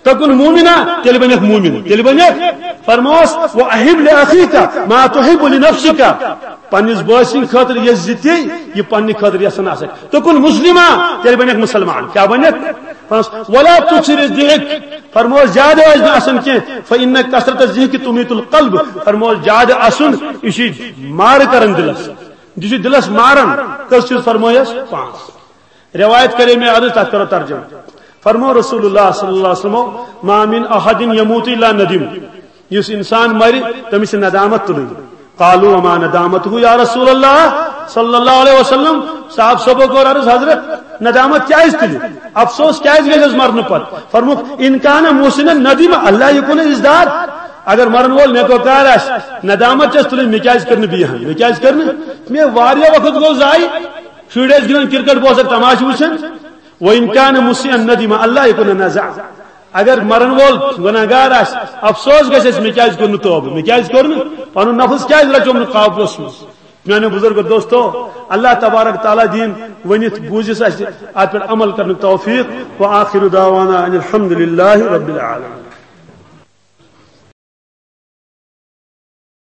"تكن مؤمنا"، تیٚلہِ بنکھ مومن، تیٚلہِ بنکھ۔ فرمووس، "وأحب لأخيك ما تحب لنفسك"، پننِس بٲے سٕنٛدِ خٲطرٕ یژھ زِ تی یہِ پننہِ خٲطرٕ یژھان آسکھ۔ "تكن مسلما"، تیٚلہِ بنکھ مُسلمان۔ کیٛاہ بنکھ؟ فرمووس، "ولا تكثر الضحك"، فرمووس، زیادٕ ٲسۍ نہٕ اسان کینٛہہ۔ "فإن كثرة الضحك تميت القلب"، فرمووس، زیادٕ اسُن، یہِ چھُ مارٕ کران دِلس، یہِ چھُ دِلس ماران۔ کٔژ چیٖز فرمٲیس؟ پانٛژھ۔ روایت کرے مےٚ عرض، تتھ کرو ترجمہٕ۔ فرمو رسول اللہ صلی اللہ علیہ وسلم، "ما من أحد يموت إلا ندم"، یُس انسان مرِ، تٔمِس چھِ ندامت تُلٕنۍ۔ قالوا وما ندامته یا رسول اللہ صلی اللہ علیہ وسلم، صاحب صٲبو کوٚر عرض، "حضرت، ندامت کیٛازِ تُلہِ؟ افسوس کیٛازِ گژھٮ۪س مرنہٕ پتہٕ؟" فرمووُکھ، "إن كان محسنا ندم ألا يكون ازداد"، اگر مرن وول نیکوکار آسہِ، ندامت چھس تُلٕنۍ، مےٚ کیٛازِ کٔر نہٕ بیٚیہِ ہن، مےٚ کیٛازِ کٔر نہٕ؟ مےٚ واریاہ وقت گوٚو ضایع، شُرۍ ٲسۍ گِنٛدان کرکٹ، بہٕ اوسکھ تماشہٕ وٕچھان۔ "وإن كان مسيئا ندم ألا يكون نزع"، اگر مرن وول گناہگار آسہِ، افسوس گژھٮ۪س، مےٚ کیٛازِ کوٚر نہٕ توبہٕ، مےٚ کیٛازِ کوٚر نہٕ، پنُن نفس کیٛازِ رچوم نہٕ قابوس منٛز؟ میانیو بزرگو دوستو، اللہ تبارک تعالیٰ دین ونتھ بوزس اسہِ اتھ پٮ۪ٹھ عمل کرنُک توفیق۔ وآخر دعوانا ان الحمد للہ رب العالمین۔